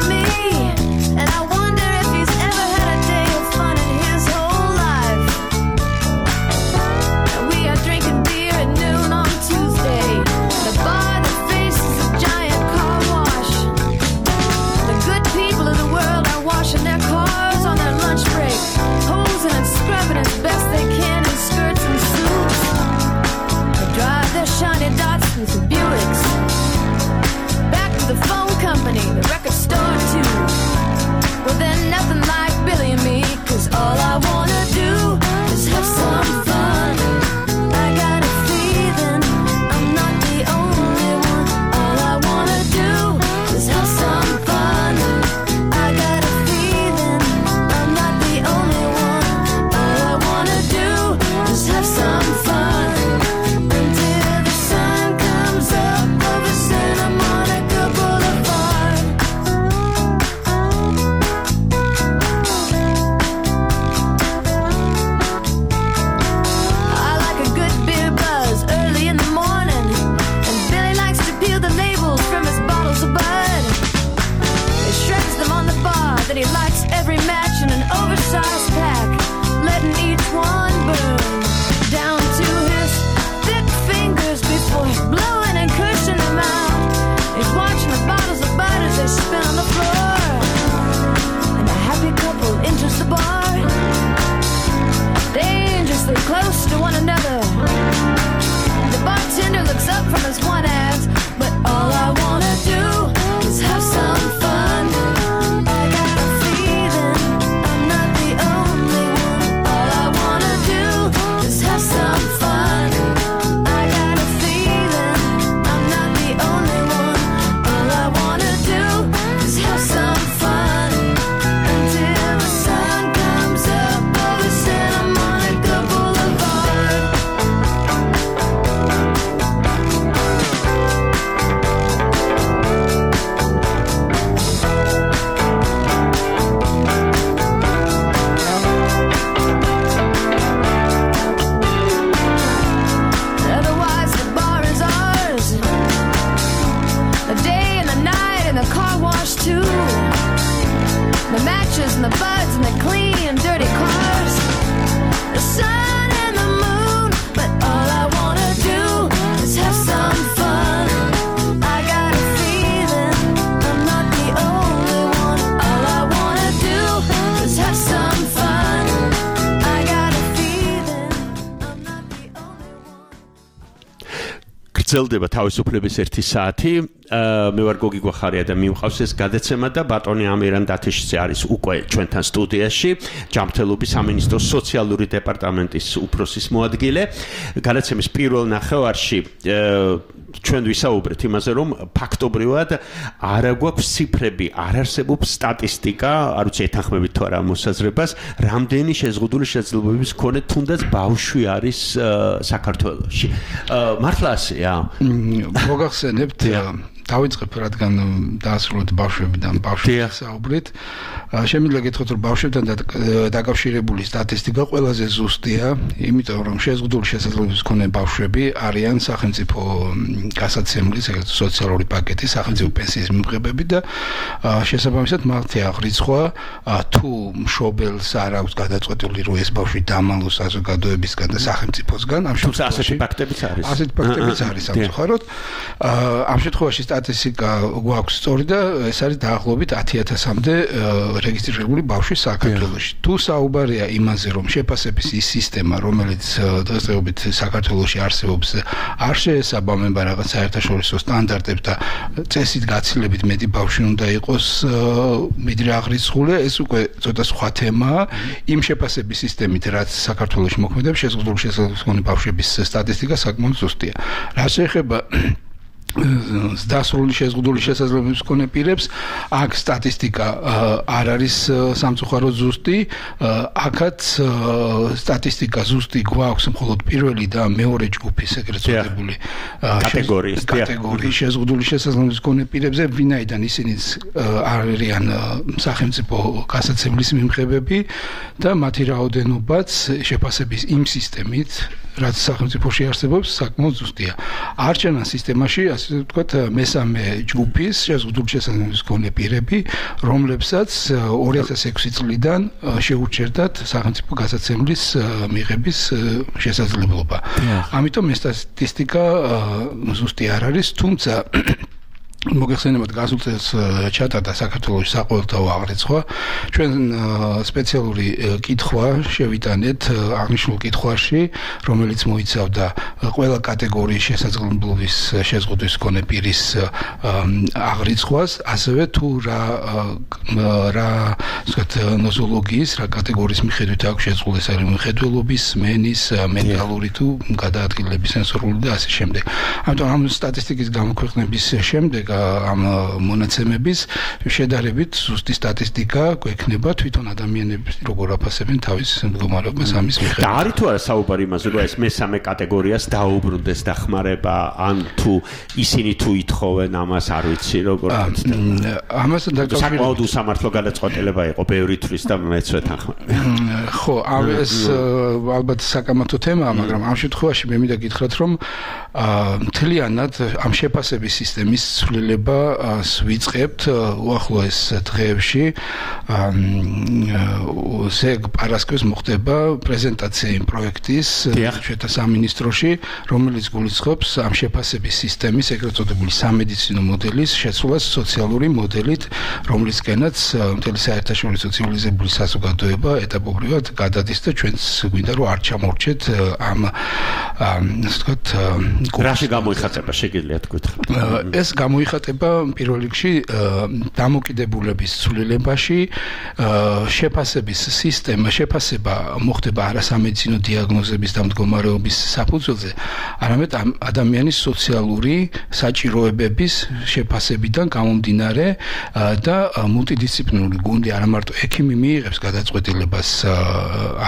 beaches and the birds and the clean and dirty cars. The sun and the moon, but all I wanna do is have some fun. I got a feeling I'm not the only one. All I wanna do is have some fun. I got a feeling I'm not the only one. გრძელდება თავისუფლების ერთი საათი. მე ვარ გოგი გვახარია და მიმყავს ეს გადაცემა და ბატონი ამირან დათიშიძე არის უკვე ჩვენთან სტუდიაში, ჯანმრთელობის სამინისტროს სოციალური დეპარტამენტის უფროსის მოადგილე. გადაცემის პირველ ნახევარში ჩვენ ვისაუბრეთ იმაზე, რომ ფაქტობრივად არ აქვს ციფრები, არ არსებობს სტატისტიკა, არ ვიცი ეთანხმებით თუ არა მოსაზრებას, რამდენი შეზღუდული შესაძლებლობების მქონე თუნდაც ბავშვი არის საქართველოში. მართლა ასეა? მოგახსენებთ დავიწყებ რადგან დაასრულეთ ბავშვებიდან ბავშვებს საუბრით. შემიძლია გითხრათ რომ ბავშვებთან დაკავშირებული სტატისტიკა ყველაზე ზუსტია, იმიტომ რომ შეზღუდული შესაძლებლობების მქონე ბავშვები არიან სახელმწიფო გასაცემლის, ეგრეთ სოციალური პაკეტის, სახელმწიფო პენსიის მიმღებები და შესაბამისად მათი აღრიცხვა თუ მშობელს არ აქვს გადაწყვეტილი რომ ეს ბავშვი დამალოს საზოგადოებისგან და სახელმწიფოსგან, ამ შემთხვევაში ასეთი ფაქტებიც არის. ასეთი ფაქტებიც არის სამწუხაროდ. ამ შემთხვევაში სტატისტიკა გვაქვს სწორი და ეს არის დაახლოებით ათი ათასამდე რეგისტრირებული ბავშვი საქართველოში. თუ საუბარია იმაზე, რომ შეფასების ის სისტემა, რომელიც დღესდღეობით საქართველოში არსებობს, არ შეესაბამება რაღაც საერთაშორისო სტანდარტებს და წესით გაცილებით მეტი ბავშვი უნდა იყოს მიდრე აღრიცხული, ეს უკვე ცოტა სხვა თემაა. იმ შეფასების სისტემით, რაც საქართველოში მოქმედებს, შეზღუდული შესაძლებლობის მქონე ბავშვების სტატისტიკა საკმაოდ ზუსტია. რა შეეხება დასრული შეზღუდული შესაძლებლობის მქონე პირებს, აქ სტატისტიკა არ არის სამწუხაროდ ზუსტი. აქაც სტატისტიკა ზუსტი გვაქვს მხოლოდ პირველი და მეორე ჯგუფის ეგრეთ წოდებული კატეგორიის კატეგორიის შეზღუდული შესაძლებლობის მქონე პირებზე, ვინაიდან ისინიც არიან სახელმწიფო გასაცემლის მიმღებები და მათი რაოდენობაც შეფასების იმ სისტემით, რაც სახელმწიფოში არსებობს, საკმაოდ ზუსტია. არჩევნ სისტემაში ასე ვთქვათ, მესამე ჯგუფის შეზღუდული შესაძლებლობის მქონე პირები, რომლებსაც ორი ათას ექვსი წლიდან შეურჩერდათ სახელმწიფო გასაცემლის მიღების შესაძლებლობა. ამიტომ ეს სტატისტიკა ზუსტი არ არის, თუმცა მოგეხსენებათ გასულ წელს ჩატარდა საქართველოს საყოველთაო აღრიცხვა. ჩვენ სპეციალური კითხვა შევიტანეთ აღნიშნულ კითხვაში, რომელიც მოიცავდა ყველა კატეგორიის შესაძლებლობის შეზღუდვის მქონე პირის აღრიცხვას, ასევე თუ რა რა ვთქვათ ნოზოლოგიის, რა კატეგორიის მიხედვით აქვს შეზღუდული, ეს არის მხედველობის, მენის, მენტალური თუ გადაადგილების სენსორული და ასე შემდეგ. ამიტომ ამ სტატისტიკის გამოქვეყნების შემდეგ ამ მონაცემების შედარებით ზუსტი სტატისტიკა გვექნება თვითონ ადამიანების როგორ აფასებენ თავის მდგომარეობას ამის მიხედვით. და არის თუ არა საუბარი იმაზე, რომ ეს მესამე კატეგორიას დაუბრუნდეს დახმარება, ან თუ ისინი თუ ითხოვენ ამას, არ ვიცი როგორ ხდება. ამასთან დაკავშირებით საკმაოდ უსამართლო გადაწყვეტილება იყო ბევრი თვის და მეც ვეთანხმები. ხო, ეს ალბათ საკამათო თემაა, მაგრამ ამ შემთხვევაში მე მინდა გითხრათ, რომ მთლიანად ამ შეფასების სისტემის ცვლილებას ვიწყებთ უახლოეს დღეებში. ზეგ პარასკევს მოხდება პრეზენტაცია იმ პროექტის ჩვენთა სამინისტროში, რომელიც გულისხმობს ამ შეფასების სისტემის ეგრეთ წოდებული სამედიცინო მოდელის შეცვლას სოციალური მოდელით, რომლისკენაც მთელი საერთაშორისო ცივილიზებული საზოგადოება ეტაპობრივად გადადის და ჩვენც გვინდა რომ არ ჩამორჩეთ ამ ასე ვთქვათ რაში გამოიხატება შეგიძლიათ გითხრათ. ეს გამოიხატება პირველ რიგში დამოკიდებულების ცვლილებაში, შეფასების სისტემა, შეფასება მოხდება არა სამედიცინო დიაგნოზების და მდგომარეობის საფუძველზე, არამედ ადამიანის სოციალური საჭიროებების შეფასებიდან გამომდინარე და მულტიდისციპლინური გუნდი არა მარტო ექიმი მიიღებს გადაწყვეტილებას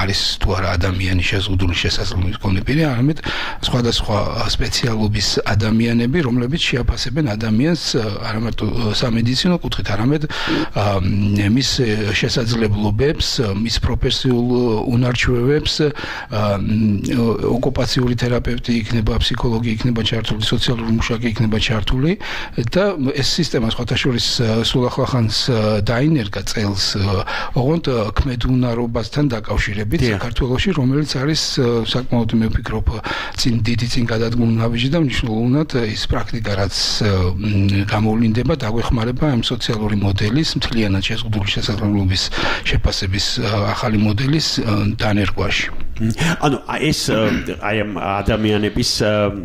არის თუ არა ადამიანის შეზღუდული შესაძლებლობის მქონე პირი, არამედ სხვადასხვა სპეციალობის ადამიანები, რომლებიც შეაფასებენ ადამიანს ადამიანს არა მარტო სამედიცინო კუთხით, არამედ მის შესაძლებლობებს, მის პროფესიულ უნარჩვევებს, ოკუპაციური თერაპევტი იქნება, ფსიქოლოგი იქნება ჩართული, სოციალური მუშაკი იქნება ჩართული და ეს სისტემა სხვათა შორის სულ ახლახანს დაინერგა წელს ოღონდ ქმედუნარობასთან დაკავშირებით საქართველოში, რომელიც არის საკმაოდ მე ვფიქრობ წინ დიდი წინ გადადგმული ნაბიჯი და მნიშვნელოვნად ის პრაქტიკა რაც გამოვლინდება დაგვეხმარება ამ სოციალური მოდელის მთლიანად შეზღუდული შესაძლებლობის შეფასების ახალი მოდელის დანერგვაში. ანუ ეს აი ამ ადამიანების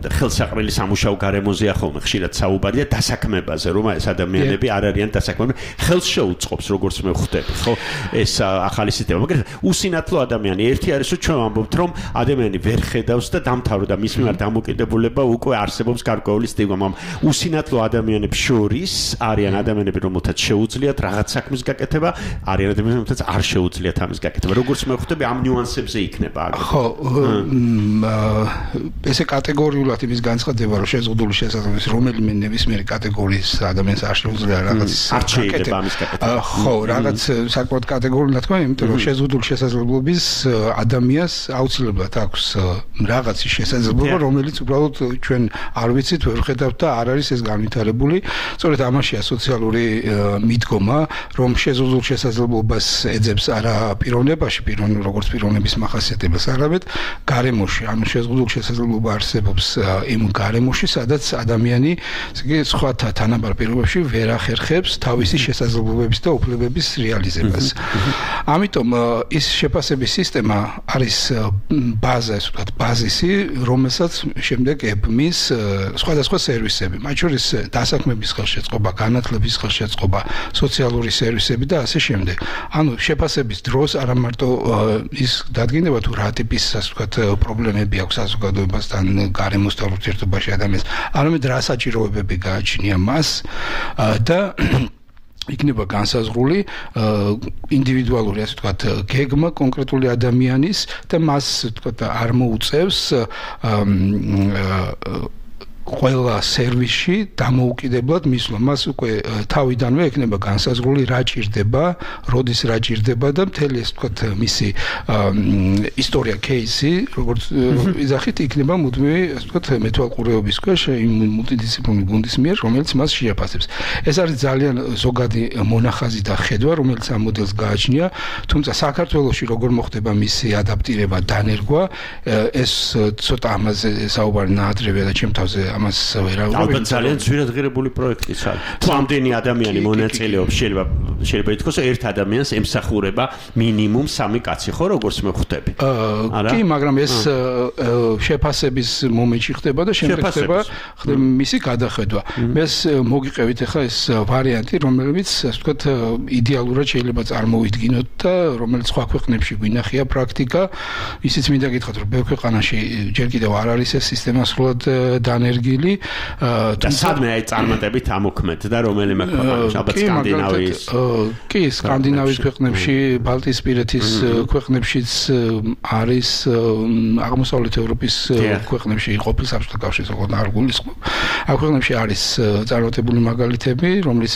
ხელსაყრელი სამუშაო გარემოზე ახალ ხშირად საუბარი და დასაქმებაზე რომ ეს ადამიანები არ არიან დასაქმებული ხელს შეუწყობს როგორც მე ხვდები ხო ეს ახალი სისტემა მაგრამ უსინათლო ადამიანი ერთი არის რომ ჩვენ ვამბობთ რომ ადამიანი ვერ ხედავს და დამთავრდა მის მიმართ დამოკიდებულება უკვე არსებობს გარკვეული სტიგმა მაგრამ უსინათლო ადამიანებს შორის არიან ადამიანები რომელთაც შეუძლიათ რაღაც საქმის გაკეთება არიან ადამიანები რომელთაც არ შეუძლიათ ამის გაკეთება როგორც მე ხვდები ამ ნიუანსებზე იქნება ხო ესე კატეგორიულად იმის განცხადება რომ შეზღუდული შესაძლებლობის რომელიმე ნებისმიერი კატეგორიის ადამიანს არ შეუძლია რაღაც არჩევა ამის გაკეთება ხო რაღაც საკმაოდ კატეგორიულად თქვა იმიტომ რომ შეზღუდული შესაძლებლობის ადამიანს აუცილებლად აქვს რაღაცის შესაძლებლობა რომელიც უბრალოდ ჩვენ არ ვიცით ვერ ხედავთ და არ არის ეს განვითარებული სწორედ ამაშია სოციალური მიდგომა რომ შეზღუდულ შესაძლებლობას ეძებს არა პიროვნებაში პიროვნ როგორც პიროვნების მახასიათებელს არამედ გარემოში ანუ შეზღუდულ შესაძლებლობა არსებობს იმ გარემოში სადაც ადამიანი ისე სხვათა თანაბარ პირობებში ვერ ახერხებს თავისი შესაძლებლობების და უფლებების რეალიზებას ამიტომ ის შეფასების სისტემა არის ბაზა ასე ვთქვათ ბაზისი რომელსაც შემდეგ ებმის სხვადასხვა სერვისები მათ შორის დასაქმების ხელშეწყობა განათლების ხელშეწყობა სოციალური სერვისები და ასე შემდეგ ანუ შეფასების დროს არა მარტო ის დადგენება თუ რა ტიპის ასე ვთქვათ პრობლემები აქვს საზოგადოებასთან გარემოსთან ურთიერთობაში ადამიანს არამედ რა საჭიროებები გააჩნია მას და იქნება განსაზღვრული ინდივიდუალური ასე ვთქვათ გეგმა კონკრეტული ადამიანის და მას ვთქვათ არ მოუწევს ყველა სერვისში დამოუკიდებლად მისვლა მას უკვე თავიდანვე ექნება განსაზღვრული რა ჭირდება, როდის რა ჭირდება და მთელი ეს ვთქვათ მისი ისტორია кейსი, როგორც იზახით იქნება მუდმივი ასე ვთქვათ მეთვალყურეობის ქვეშ იმ მულტიდისციპლინარული გუნდის მიერ, რომელიც მას შეაფასებს. ეს არის ძალიან ზოგადი მონახაზი და ხედვა, რომელიც ამ მოდელს გააჩნია, თუმცა საქართველოში როგორ მოხდება მისი ადაპტირება, დანერგვა, ეს ცოტა ამაზე საუბარი ნაადრევია და ჩემ თავზე ამას ვერავარ. ალბათ ძალიან ძვირადღირებული პროექტიც არის. თუ ამდენი ადამიანი მონაწილეობს, შეიძლება შეიძლება ითქვას, ერთ ადამიანს ემსახურება მინიმუმ სამი კაცი, ხო, როგორც მე ხვდები. არა? კი, მაგრამ ეს შეფასების მომენტში ხდება და შემდეგ ხდება მისი გადახედვა. მეს მოგიყევით ახლა ეს ვარიანტი, რომელიც, ასე ვთქვათ, იდეალურად შეიძლება წარმოვიდგინოთ და რომელიც სხვა ქვეყნებში გვინახია პრაქტიკა. ისიც მინდა გითხრათ, რომ ბევრ ქვეყანაში ჯერ კიდევ არ არის ეს სისტემა სრულად დანერგილი და სადმე აი წარმატებით ამოქმედ და რომელიმე ქვეყანაში ალბათ სკანდინავიის კი სკანდინავიის ქვეყნებში ბალტიისპირეთის ქვეყნებშიც არის აღმოსავლეთ ევროპის ქვეყნებში ყოფილ საბჭოთა კავშირის ოღონდ არ გულისხმობ ამ ქვეყნებში არის წარმატებული მაგალითები რომლის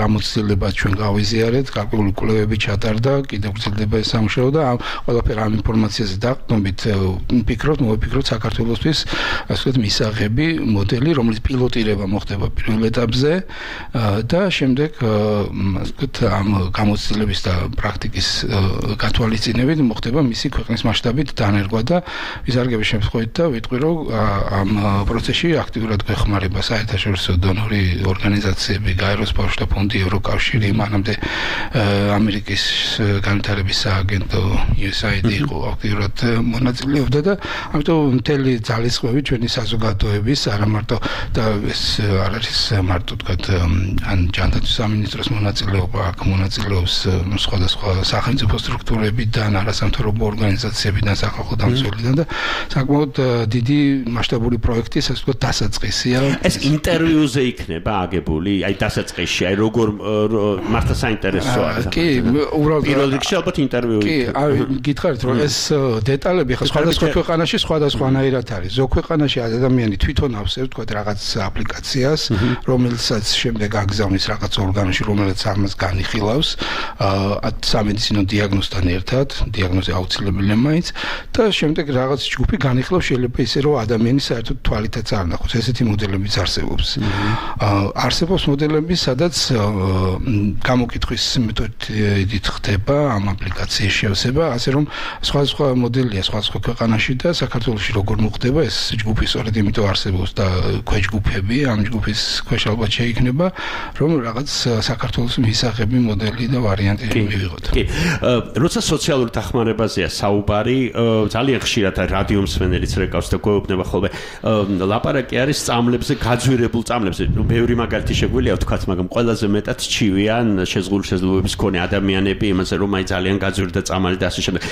გამოცდილებას ჩვენ გავიზიარეთ გარკვეული კვლევები ჩატარდა კიდევ გრძელდება ეს სამუშაო და ამ ყველაფერ ამ ინფორმაციაზე დაყრდნობით ვფიქრობთ მოვიფიქროთ საქართველოსთვის ასე ვთქვათ მისაღები მოდელი, რომელიც პილოტირება მოხდება პირველ ეტაპზე და შემდეგ ასე ვთქვათ ამ გამოცდილების და პრაქტიკის გათვალისწინებით მოხდება მისი ქვეყნის მასშტაბით დანერგვა და ვიზარგების შემთხვევით და ვიტყვი რომ ამ პროცესში აქტიურად გვეხმარება საერთაშორისო დონორი ორგანიზაციები, გაეროს ბავშვთა ფონდი, ევროკავშირი, მანამდე ამერიკის განვითარების სააგენტო იუ ეს აი დი იყო აქტიურად მონაწილეობდა და ამიტომ მთელი ძალისხმევი ჩვენი საზოგადოების არა მარტო და ეს არ არის მარტო თქვათ ან ჯანდაცვის სამინისტროს მონაწილეობა აქ მონაწილეობს სხვადასხვა სახელმწიფო სტრუქტურებიდან არასამთავრობო ორგანიზაციებიდან სახალხო დამცველიდან და საკმაოდ დიდი მასშტაბური პროექტი ასე ვთქვათ დასაწყისია ეს ინტერვიუზე იქნება აგებული აი დასაწყისში აი როგორ მართლა საინტერესოა კი უბრალოდ პირველ რიგში ალბათ ინტერვიუ კი აი გითხარით რომ ეს დეტალები ხა სხვადასხვა ქვეყანაში სხვადასხვანაირად არის ზოგ ქვეყანაში ადამიანი თვითონ ავსებ თქვა რაღაც აპლიკაციას, რომელსაც შემდეგ აგზავნის რაღაც ორგანოში, რომელიც ამას განიხილავს, სამედიცინო დიაგნოზთან ერთად, დიაგნოზი აუცილებელია მაინც და შემდეგ რაღაც ჯგუფი განიხილავს შეიძლება ისე რომ ადამიანის საერთოდ თვალითაც არ ნახოს. ესეთი მოდელებიც არსებობს. არსებობს მოდელები, სადაც გამოკითხვის მეთოდით ხდება ამ აპლიკაციის შევსება, ასე რომ სხვადასხვა მოდელია სხვადასხვა ქვეყანაში და საქართველოში როგორ მოხდება ეს ჯგუფი სწორედ იმიტომ არსებობს და ქვეჯგუფები ამ ჯგუფის ქვეშ ალბათ შეიქმნება, რომ რაღაც საქართველოს მისაღები მოდელი და ვარიანტი მივიღოთ. კი. როცა სოციალური დახმარებაზეა საუბარი, ძალიან ხშირად რადიო მსმენელიც რეკავს და გვეუბნება ხოლმე ლაპარაკი არის წამლებზე, გაძვირებულ წამლებზე. ნუ ბევრი მაგალითი შეგვიძლია ვთქვათ, მაგრამ ყველაზე მეტად ჩივიან შეზღუდული შესაძლებლობების მქონე ადამიანები იმაზე, რომ აი ძალიან გაძვირდა წამალი და ასე შემდეგ.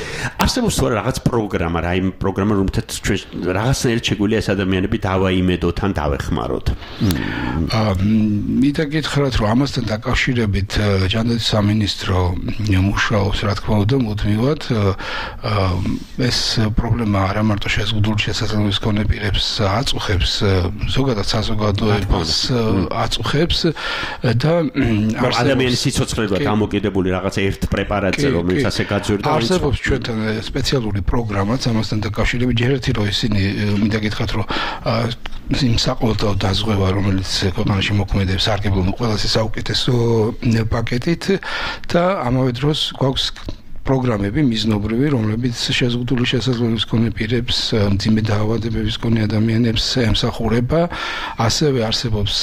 არსებობს თუ არა რაღაც პროგრამა, რა იმ პროგრამა, რომელთაც ჩვენ რაღაცნაირად შეგვიძლია ეს ადამიანები დავაიმედოთ ან დავეხმაროთ. აა მინდა გითხრათ, რომ ამასთან დაკავშირებით ჯანდაცვის სამინისტრო მუშაობს, რა თქმა უნდა, მუდმივად ეს პრობლემა არა მარტო შეზღუდული შესაძლებლობის მქონე პირებს აწუხებს, ზოგადად საზოგადოებას აწუხებს და ადამიანის სიცოცხლეა დამოკიდებული რაღაც ერთ პრეპარატზე, რომელიც ასე გაძვირდა. არსებობს ჩვენთან სპეციალური პროგრამაც ამასთან დაკავშირებით, ჯერ ერთი რომ ისინი მინდა გითხრათ, რომ იმ საყოველთაო დაზღვევა, რომელიც ქვეყანაში მოქმედებს, სარგებლობენ ყველაზე საუკეთესო პაკეტით და ამავე დროს გვაქვს პროგრამები მიზნობრივი, რომლებიც შეზღუდული შესაძლებლობის მქონე პირებს, მძიმე დაავადებების მქონე ადამიანებს ემსახურება. ასევე არსებობს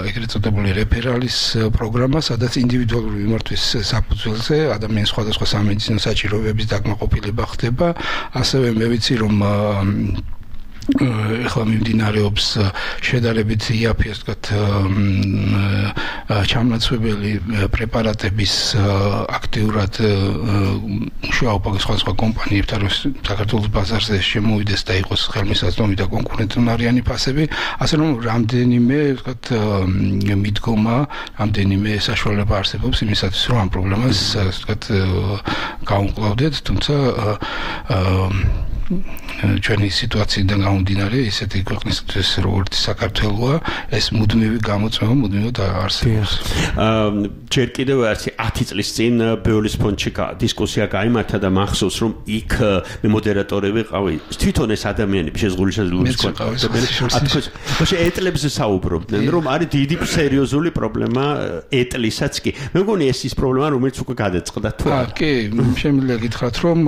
ეგრეთ წოდებული რეფერალის პროგრამა, სადაც ინდივიდუალური მიმართვის საფუძველზე ადამიანის სხვადასხვა სამედიცინო საჭიროებების დაკმაყოფილება ხდება. ასევე მე ვიცი, რომ ეხლა მიმდინარეობს შედარებით იაფი, ასე ვთქვათ, ჩამნაცვებელი პრეპარატების აქტიურად მუშაობა სხვადასხვა კომპანიებთან, რომ საქართველოს ბაზარზე შემოვიდეს და იყოს ხელმისაწვდომი და კონკურენტუნარიანი ფასები, ასე რომ რამდენიმე, ვთქვათ, მიდგომა, რამდენიმე საშუალება არსებობს იმისათვის, რომ ამ პრობლემას, ასე ვთქვათ, გავუმკლავდეთ, თუმცა ჩვენი სიტუაციიდან გამომდინარე, ისეთი ქვეყნისთვის როგორც საქართველოა, ეს მუდმივი გამოწვევა მუდმივად არსებობს. ჯერ კიდევ ერთი ათი წლის წინ ბეოლის ფონდში დისკუსია გაიმართა და მახსოვს, რომ იქ მე მოდერატორი ვიყავი, თვითონ ეს ადამიანები შეზღუდული შესაძლებლობის მქონე ეტლებზე საუბრობდნენ, რომ არის დიდი სერიოზული პრობლემა ეტლისაც კი. მე მგონი ეს ის პრობლემა, რომელიც უკვე გადაწყდა თუ არა. კი, შემიძლია გითხრათ, რომ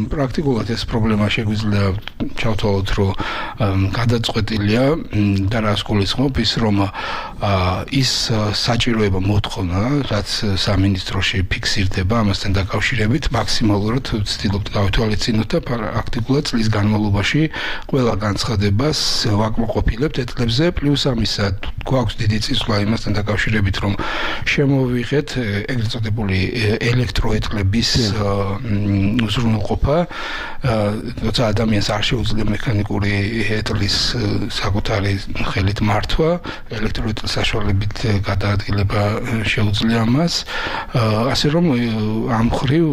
პრაქტიკულად ეს პრობლემა შეგვიძლია ჩავთვალოთ, რომ გადაწყვეტილია და რას გულისხმობ ის, რომ ის საჭიროება მოთხოვნა, რაც სამინისტროში ფიქსირდება ამასთან დაკავშირებით, მაქსიმალურად ვცდილობთ გავითვალისწინოთ და პრაქტიკულად წლის განმავლობაში ყველა განცხადებას ვაკმაყოფილებთ ეტლებზე, პლუს ამისა გვაქვს დიდი წინსვლა იმასთან დაკავშირებით, რომ შემოვიღეთ ეგრეთ წოდებული ელექტროეტლების უზრუნველყოფა, როცა ადამიანს არ შეუძლია მექანიკური ეტლის საკუთარი ხელით მართვა, ელექტროეტლის საშუალებით გადაადგილება შეუძლია მას, ასე რომ ამ მხრივ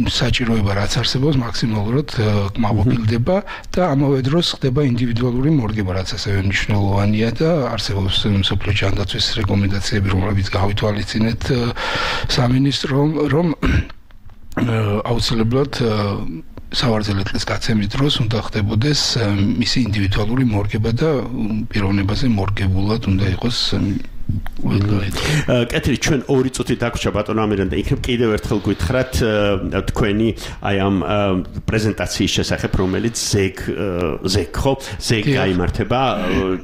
საჭიროება რაც არსებობს მაქსიმალურად კმაყოფილდება და ამავე დროს ხდება ინდივიდუალური მორგება, რაც ასევე მნიშვნელოვანია და არსებობს მსოფლიო ჯანდაცვის რეკომენდაციები, რომლებიც გავითვალისწინეთ სამინისტრომ, რომ აუცილებლად სავარძელე წლის გაცემის დროს უნდა ხდებოდეს მისი ინდივიდუალური მორგება და პიროვნებაზე მორგებულად უნდა იყოს კეთილი, ჩვენ ორი წუთი დაგვრჩა ბატონო ამირან და იქნებ კიდევ ერთხელ გითხრათ თქვენი აი ამ პრეზენტაციის შესახებ, რომელიც ზეგ ზეგ ხო ზეგ გაიმართება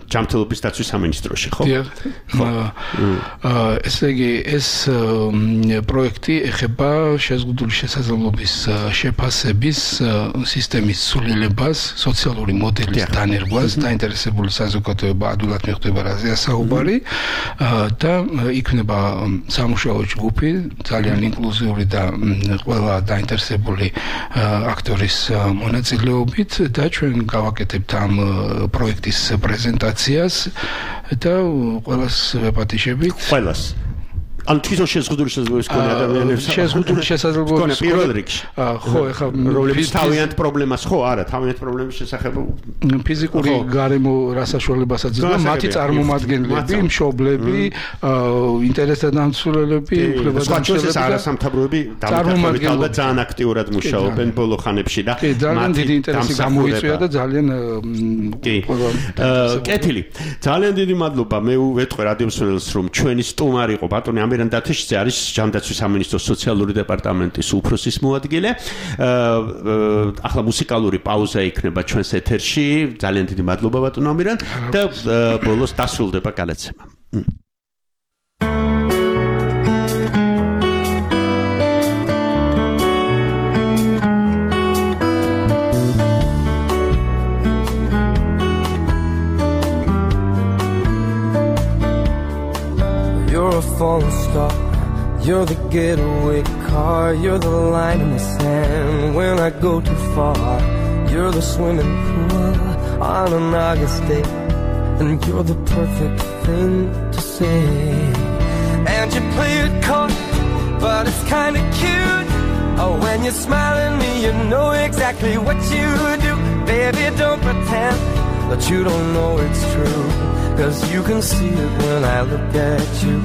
ჯანმრთელობის დაცვის სამინისტროში, ხო? ესე იგი ეს პროექტი ეხება შეზღუდული შესაძლებლობის შეფასების სისტემის სულილებას, სოციალური მოდელის დანერგვას, დაინტერესებული საზოგადოება ადვილად მიხვდება რაზეა საუბარი. და იქნება სამუშაო ჯგუფი, ძალიან ინკლუზიური და ყველა დაინტერესებული აქტორის მონაწილეობით და ჩვენ გავაკეთებთ ამ პროექტის პრეზენტაციას და ყველას ვეპატიშებით. ყველას ან თვითონ შეზღუდული შესაძლებლობის მქონე ადამიანებს შეზღუდული შესაძლებლობის პირველ რიგში. ხო, ეხლა რომლებიც თავიანთ პრობლემას ხო, არა, თავიანთ პრობლემის შესახებ ფიზიკური გარემო რა საშუალებასაც იძლევა მათი წარმომადგენლები, მშობლები, ინტერესდამცველები, უფლებადამცველები და არასამთავროები დამოკიდებულებით ძალიან აქტიურად მუშაობენ ბოლო ხანებში და ძალიან დიდი ინტერესი გამოიწვია და ძალიან კეთილი. ძალიან დიდი მადლობა. მე ვეთქვი რადიო მსმენელს რომ ჩვენი სტუმარი იყო ბატონი ამირან დათეშიძე არის ჯანდაცვის სამინისტროს სოციალური დეპარტამენტის უფროსის მოადგილე. ახლა მუსიკალური პაუზა იქნება ჩვენს ეთერში. ძალიან დიდი მადლობა ბატონო ამირან და ბოლოს დასრულდება გადაცემა. You're a falling star, you're the getaway car, you're the line in the sand when I go too far. You're the swimming pool on an August day, and you're the perfect thing to say. And you play it coy, but it's kinda cute. Oh, when you smile at me, you know exactly what you do. Baby, don't pretend that you don't know it's true, 'cause you can see it when I look at you.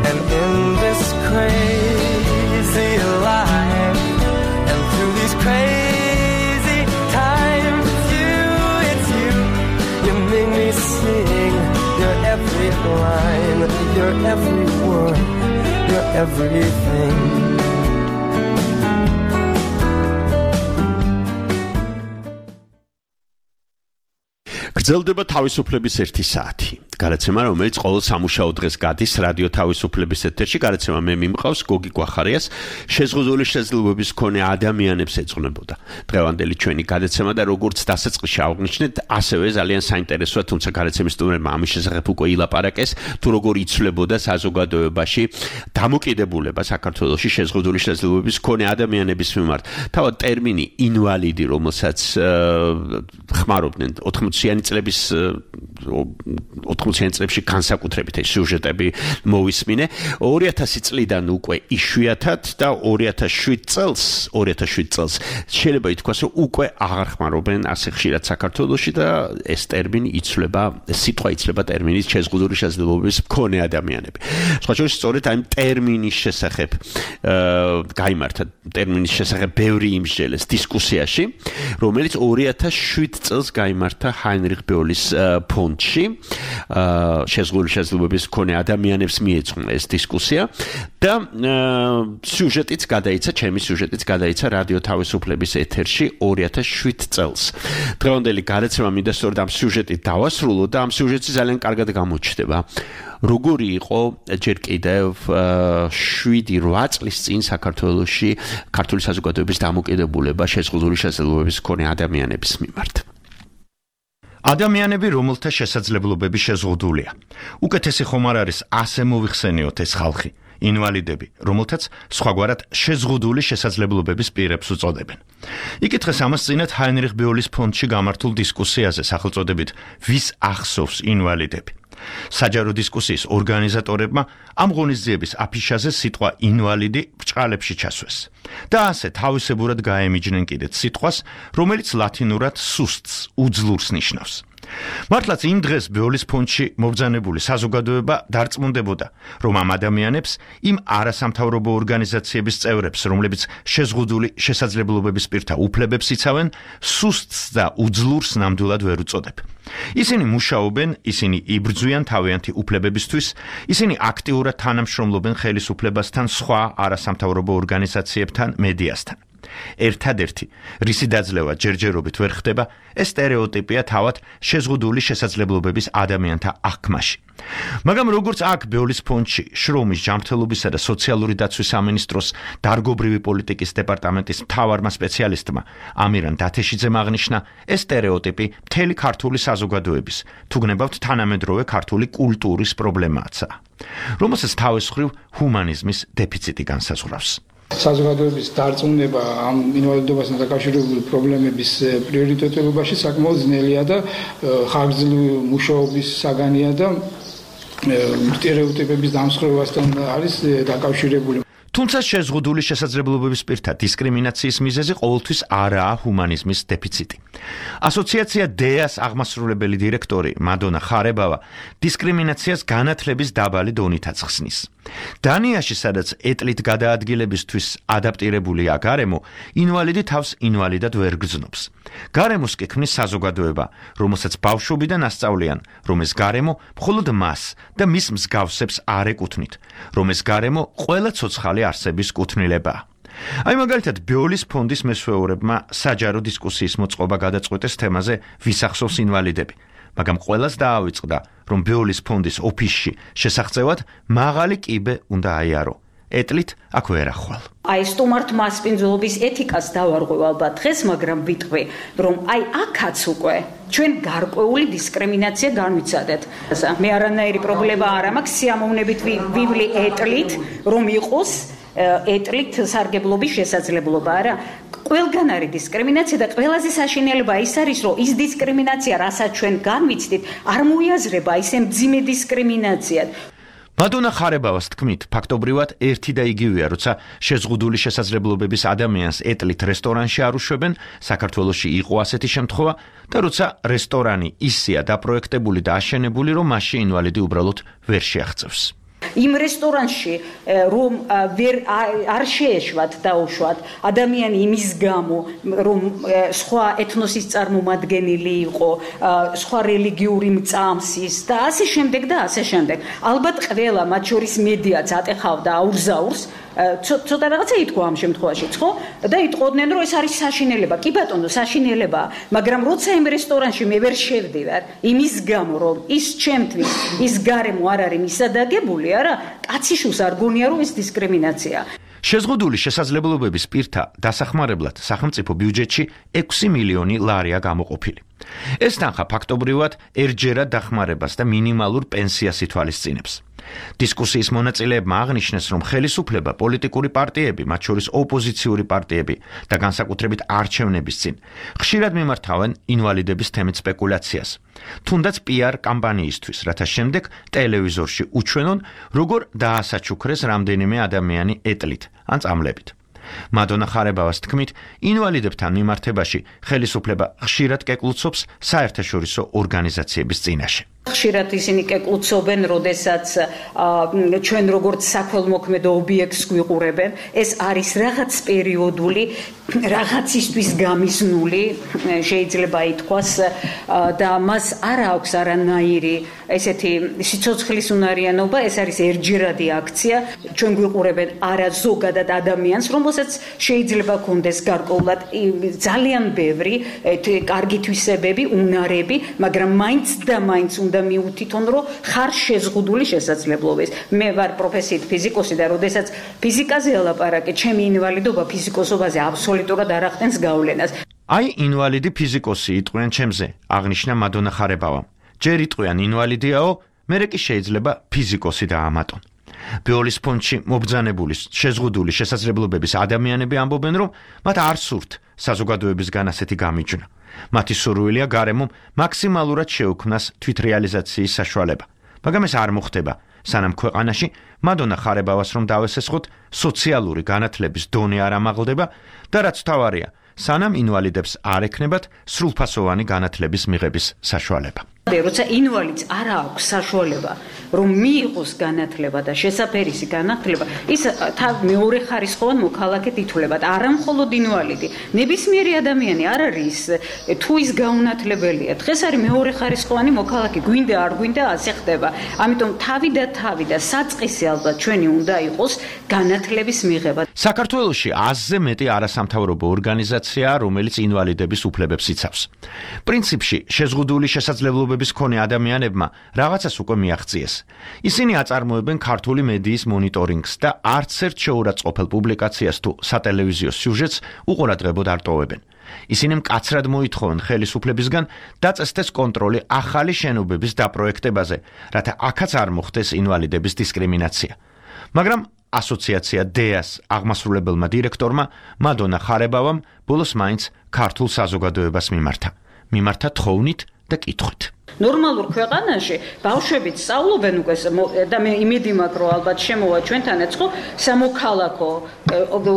And in this crazy life, and through these crazy times, it's you, it's you. You make me sing your every line, your every word, your everything. გრძელდება თავისუფლების ერთი საათი. გადაცემა, რომელიც ყოველ სამუშაო დღეს გადის რადიო თავისუფლების ეთერში. გადაცემა მე მიმყავს გოგი გვახარიას. შეზღუდული შესაძლებლობების მქონე ადამიანებს ეძღვნებოდა. დღევანდელი ჩვენი გადაცემა და როგორც დასაწყისში აღვნიშნეთ, ასევე ძალიან საინტერესოა, თუმცა გადაცემის სტუმრებმა ამის შესახებ უკვე ილაპარაკეს, თუ როგორ იცვლებოდა საზოგადოებაში დამოკიდებულება საქართველოში შეზღუდული შესაძლებლობების მქონე ადამიანების მიმართ. თავად ტერმინი ინვალიდი, რომელსაც ხმარობდნენ ოთხმოციანი წლების ოთხმოციანი წლებში განსაკუთრებით ეს სიუჟეტები მოვისმინე. ორი ათასი წლიდან უკვე იშვიათად და ორი ათას შვიდ წელს, ორი ათას შვიდ წელს შეიძლება ითქვას, რომ უკვე აღარ ხმარობენ ასე ხშირად საქართველოში და ეს ტერმინი იცვლება, სიტყვა იცვლება ტერმინით შეზღუდული შესაძლებლობების მქონე ადამიანები. სხვა შორის სწორედ ამ ტერმინის შესახებ გაიმართა ტერმინის შესახებ ბევრი იმსჯელეს დისკუსიაში, რომელიც ორი ათას შვიდ წელს გაიმართა ჰაინრიხ ბეოლის ფონდში. შეზღუდული შესაძლებლობების მქონე ადამიანებს მიეძღვნა ეს დისკუსია და სიუჟეტიც გადაიცა, ჩემი სიუჟეტიც გადაიცა რადიო თავისუფლების ეთერში ორი ათას შვიდ წელს. დღევანდელი გადაცემა მინდა სწორედ ამ სიუჟეტით დავასრულო და ამ სიუჟეტი ძალიან კარგად გამოჩნდება. როგორი იყო ჯერ კიდევ შვიდი რვა წლის წინ საქართველოში ქართული საზოგადოების დამოკიდებულება შეზღუდული შესაძლებლობების მქონე ადამიანების მიმართ. ადამიანები, რომელთა შესაძლებლობები შეზღუდულია. უკეთესი ხომ არ არის ასე მოიხსენიოთ ეს ხალხი, ინვალიდები, რომელთაც სხვაგვარად შეზღუდული შესაძლებლობების პირებს უწოდებენ. იკითხეს ამას წინათ ჰაინრიხ ბეოლის ფონდში გამართულ დისკუსიაზე სახელწოდებით ვის ახსოვს ინვალიდები. საჯარო დისკუსიის ორგანიზატორებმა ამ ღონისძიების აფიშაზე სიტყვა ინვალიდი ბრჭყალებში ჩასვეს და ასე თავისებურად გაემიჯნენ კიდეც სიტყვას, რომელიც ლათინურად სუსტს, უძლურს ნიშნავს. მართლაც იმ დღეს ბეოლის ფონდში მობრძანებული საზოგადოება დარწმუნდებოდა, რომ ამ ადამიანებს, იმ არასამთავრობო ორგანიზაციების წევრებს, რომლებიც შეზღუდული შესაძლებლობების პირთა უფლებებს იცავენ, სუსტს და უძლურს ნამდვილად ვერ უწოდებ. ისინი მუშაობენ, ისინი იბრძვიან თავიანთი უფლებებისთვის, ისინი აქტიურად თანამშრომლობენ ხელისუფლებასთან, სხვა არასამთავრობო ორგანიზაციებთან, მედიასთან. ერთადერთი, რისი დაძლევა ჯერჯერობით ვერ ხდება, ეს სტერეოტიპია თავად შეზღუდული შესაძლებლობების ადამიანთა აღქმაში. მაგრამ როგორც აქ ბეოლის ფონდში შრომის, ჯანმრთელობისა და სოციალური დაცვის სამინისტროს დარგობრივი პოლიტიკის დეპარტამენტის მთავარმა სპეციალისტმა ამირან დათეშიძემ აღნიშნა, ეს სტერეოტიპი მთელი ქართული საზოგადოების, თუ გნებავთ თანამედროვე ქართული კულტურის პრობლემაა, რომელსაც თავის მხრივ ჰუმანიზმის დეფიციტი განსაზღვრავს. საზოგადოების დარწმუნება ამ ინვალიდობასთან დაკავშირებული პრობლემების პრიორიტეტებობაში საკმაოდ ძნელია და ხანგრძლივი მუშაობის საგანია და სტერეოტიპების დამსხვრევასთან არის დაკავშირებული. თუმცა შეზღუდული შესაძლებლობების პირთა დისკრიმინაციის მიზეზი ყოველთვის არაა ჰუმანიზმის დეფიციტი. ასოციაცია დეას აღმასრულებელი დირექტორი მადონა ხარებავა დისკრიმინაციას განათლების დაბალი დონით აცხსნის. დანიაში, სადაც ეტლით გადაადგილებისთვის ადაპტირებულია გარემო, ინვალიდი თავს ინვალიდად ვერ გრძნობს. გარემოს კი ქმნის საზოგადოება, რომელსაც ბავშვობიდან ასწავლიან, რომ ეს გარემო მხოლოდ მას და მის მსგავსებს არ ეკუთვნით, რომ ეს გარემო ყველა ცოცხალი არსების კუთვნილებაა. აი მაგალითად ბიოლის ფონდის მესვეურებმა საჯარო დისკუსიის მოწყობა გადაწყვეტეს თემაზე ვის ახსოვს ინვალიდები. მაგრამ ყველას დაავიწყდა, რომ ბიოლის ფონდის ოფისში შესახწევად მაღალი კიბე უნდა აიარო. ეტლით აქ ვერ ახვალ. აი სტუმართ მასპინძლობის ეთიკას დავარღვევ ალბათ დღეს, მაგრამ ვიტყვი, რომ აი აქაც უკვე ჩვენ გარკვეული დისკრიმინაცია განვიცადეთ. მე არანაირი პრობლემა არ მაქვს სიამოვნებით ვივლი ეტლით, რომ იყოს ეტლით სარგებლობის შესაძლებლობა, არა? ყველგან არის დისკრიმინაცია და ყველაზე საშინელება ის არის, რომ ის დისკრიმინაცია, რასაც ჩვენ განვიცდით, არ მოიაზრება ისე მძიმე დისკრიმინაციად. მადონა ხარებავას თქმით, ფაქტობრივად ერთი და იგივეა, როცა შეზღუდული შესაძლებლობების ადამიანს ეტლით რესტორანში არ უშვებენ, საქართველოში იყო ასეთი შემთხვევა, და როცა რესტორანი ისეა დაპროექტებული და აშენებული, რომ მასში ინვალიდი უბრალოდ ვერ შეაღწევს. იმ რესტორანში რომ ვერ არ შეეშვათ დაუშვათ ადამიანი იმის გამო რომ სხვა ეთნოსის წარმომადგენელი იყო, სხვა რელიგიური მწამსის და ასე შემდეგ და ასე შემდეგ. ალბათ ყველა მათ შორის მედიაც ატეხავდა აურზაურს, ცოტა რაღაცა ითქვა ამ შემთხვევაში, ხო? და იტყოდნენ, რომ ეს არის საშინელება. კი ბატონო, საშინელებაა, მაგრამ როცა იმ რესტორანში მე ვერ შევდივარ, იმის გამო, რომ ის ჩემთვის ის გარემო არ არის მისადაგებული, არა, კაციშუს არ გონია, რომ ეს დისკრიმინაციაა. შეზღუდული შესაძლებლობების პირთა დასახმარებლად სახელმწიფო ბიუჯეტში ექვსი მილიონი ლარია გამოყოფილი. ეს თანხა ფაქტობრივად ერთჯერად დახმარებას და მინიმალურ პენსიას ითვალისწინებს. დისკუსიის მონაწილეებმა აღნიშნეს, რომ ხელისუფლება, პოლიტიკური პარტიები, მათ შორის ოპოზიციური პარტიები და განსაკუთრებით არჩევნების წინ ხშირად მიმართავენ ინვალიდების თემით სპეკულაციას, თუნდაც პიარ კამპანიისთვის, რათა შემდეგ ტელევიზორში უჩვენონ, როგორ დაასაჩუქრეს რამდენიმე ადამიანი ეტლით ან წამლებით. მადონა ხარებავას თქმით, ინვალიდებთან მიმართებაში ხელისუფლება ხშირად კეკლუცობს საერთაშორისო ორგანიზაციების წინაშე. ხშირად ისინი კეკლუცობენ, როდესაც ჩვენ როგორც საქველმოქმედო ობიექტს გვიყურებენ, ეს არის რაღაც პერიოდული, რაღაცისთვის გამიზნული, შეიძლება ითქვას, და მას არ აქვს არანაირი ესეთი სიცოცხლის უნარიანობა, ეს არის ერთჯერადი აქცია, ჩვენ გვიყურებენ არა ზოგადად ადამიანს, რომელსაც შეიძლება ქონდეს გარკვეულად ძალიან ბევრი კარგი თვისებები, უნარები, მაგრამ მაინც და მაინც უნდა მიუთითონ, რომ ხარ შეზღუდული შესაძლებლობების. მე ვარ პროფესიით ფიზიკოსი და როდესაც ფიზიკაზე ელაპარაკე, ჩემი ინვალიდობა ფიზიკოსობაზე აბსოლუტურად არ ახდენს გავლენას. აი ინვალიდი ფიზიკოსი იტყვიან ჩემზე, აღნიშნა მადონა ხარებავა. ჯერ იტყვიან ინვალიდიაო, მერე კი შეიძლება ფიზიკოსი დაამატონ. ბიოლის ფონდში მობრძანებული შეზღუდული შესაძლებლობების ადამიანები ამბობენ, რომ მათ არ სურთ საზოგადოებისგან ასეთი გამიჯვნა. მათი სურვილია გარემომ მაქსიმალურად შეუქმნას თვითრეალიზაციის საშუალება. მაგრამ ეს არ მოხდება, სანამ ქვეყანაში მადონა ხარებავას რომ დავესესხოთ, სოციალური განათლების დონე არ ამაღლდება და რაც თავარია, სანამ ინვალიდებს არ ექნებათ სრულფასოვანი განათლების მიღების საშუალება. როცა ინვალიდს არ აქვს საშუალება, რომ მიიღოს განათლება და შესაფერისი განათლება, ის მეორე ხარისხოვან მოქალაქედ ითვლება და არა მხოლოდ ინვალიდი. ნებისმიერი ადამიანი არ არის თუ ის გაუნათლებელია. დღეს არის მეორე ხარისხოვანი მოქალაქე, გვინდა არ გვინდა ასე ხდება. ამიტომ თავი და თავი და საწყისი ალბათ ჩვენი უნდა იყოს განათლების მიღება. საქართველოში ათზე მეტი არასამთავრობო ორგანიზაციაა, რომელიც ინვალიდების უფლებებს იცავს. პრინციპში შეზღუდული შესაძლებლობების მქონე ადამიანებმა რაღაცას უკვე მიაღწიეს. ისინი აწარმოებენ ქართული მედიის მონიტორინგს და არც ერთ შეურაცხყოფელ პუბლიკაციას თუ სატელევიზიო სიუჟეტს უყურადღებოდ არ ტოვებენ. ისინი მკაცრად მოითხოვენ ხელისუფლებისგან დაწესდეს კონტროლი ახალი შენობების დაპროექტებაზე, რათა აქაც არ მოხდეს ინვალიდების დისკრიმინაცია. მაგრამ ასოციაცია დეას აღმასრულებელმა დირექტორმა მადონა ხარებავამ ბოლოს მაინც ქართულ საზოგადოებას მიმართა. მიმართა თხოვნით და კითხვით. ნორმალურ ქვეყანაში ბავშვებიც სწავლობენ უკვე და მე იმედი მაქვს რომ ალბათ შემოვა ჩვენთანაც ხო სამოქალაქო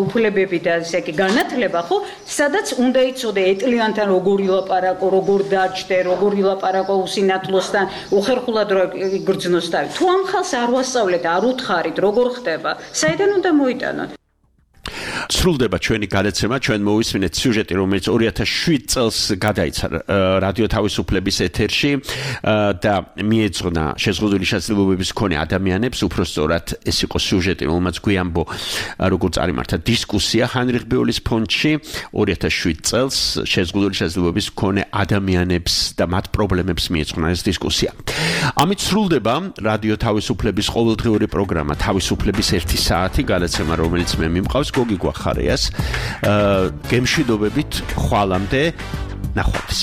უფლებები და ესე იგი განათლება ხო სადაც უნდა იცოდე ეტლიანთან როგორ ილაპარაკო როგორ დაჯდე როგორ ილაპარაკო usinatlostan უხერხულად რო იგრძნოს თავი თუ ამ ხალხს არ ვასწავლეთ არ უთხარით როგორ ხდება საიდან უნდა მოიტანოთ სრულდება ჩვენი გადაცემა, ჩვენ მოვისმინეთ სიუჟეტი, რომელიც ორი ათას შვიდ წელს გადაიცა რადიო თავისუფლების ეთერში და მიეძღვნა შეზღუდული შესაძლებლობების მქონე ადამიანებს, უпростоრად ეს იყო სიუჟეტი, რომელმაც გვიამბო როგორც წარიმართა დისკუსია ჰაინრიხ ბეულის ფონდში ორი ათას შვიდ წელს შეზღუდული შესაძლებლობების მქონე ადამიანებს და მათ პრობლემებს მიეძღვნა ეს დისკუსია. ამით სრულდება რადიო თავისუფლების ყოველდღიური პროგრამა თავისუფლების ერთი საათი გადაცემა, რომელიც მე მიმყავს გოგი გვახარიას გემშვიდობებით ხვალამდე ნახვამდის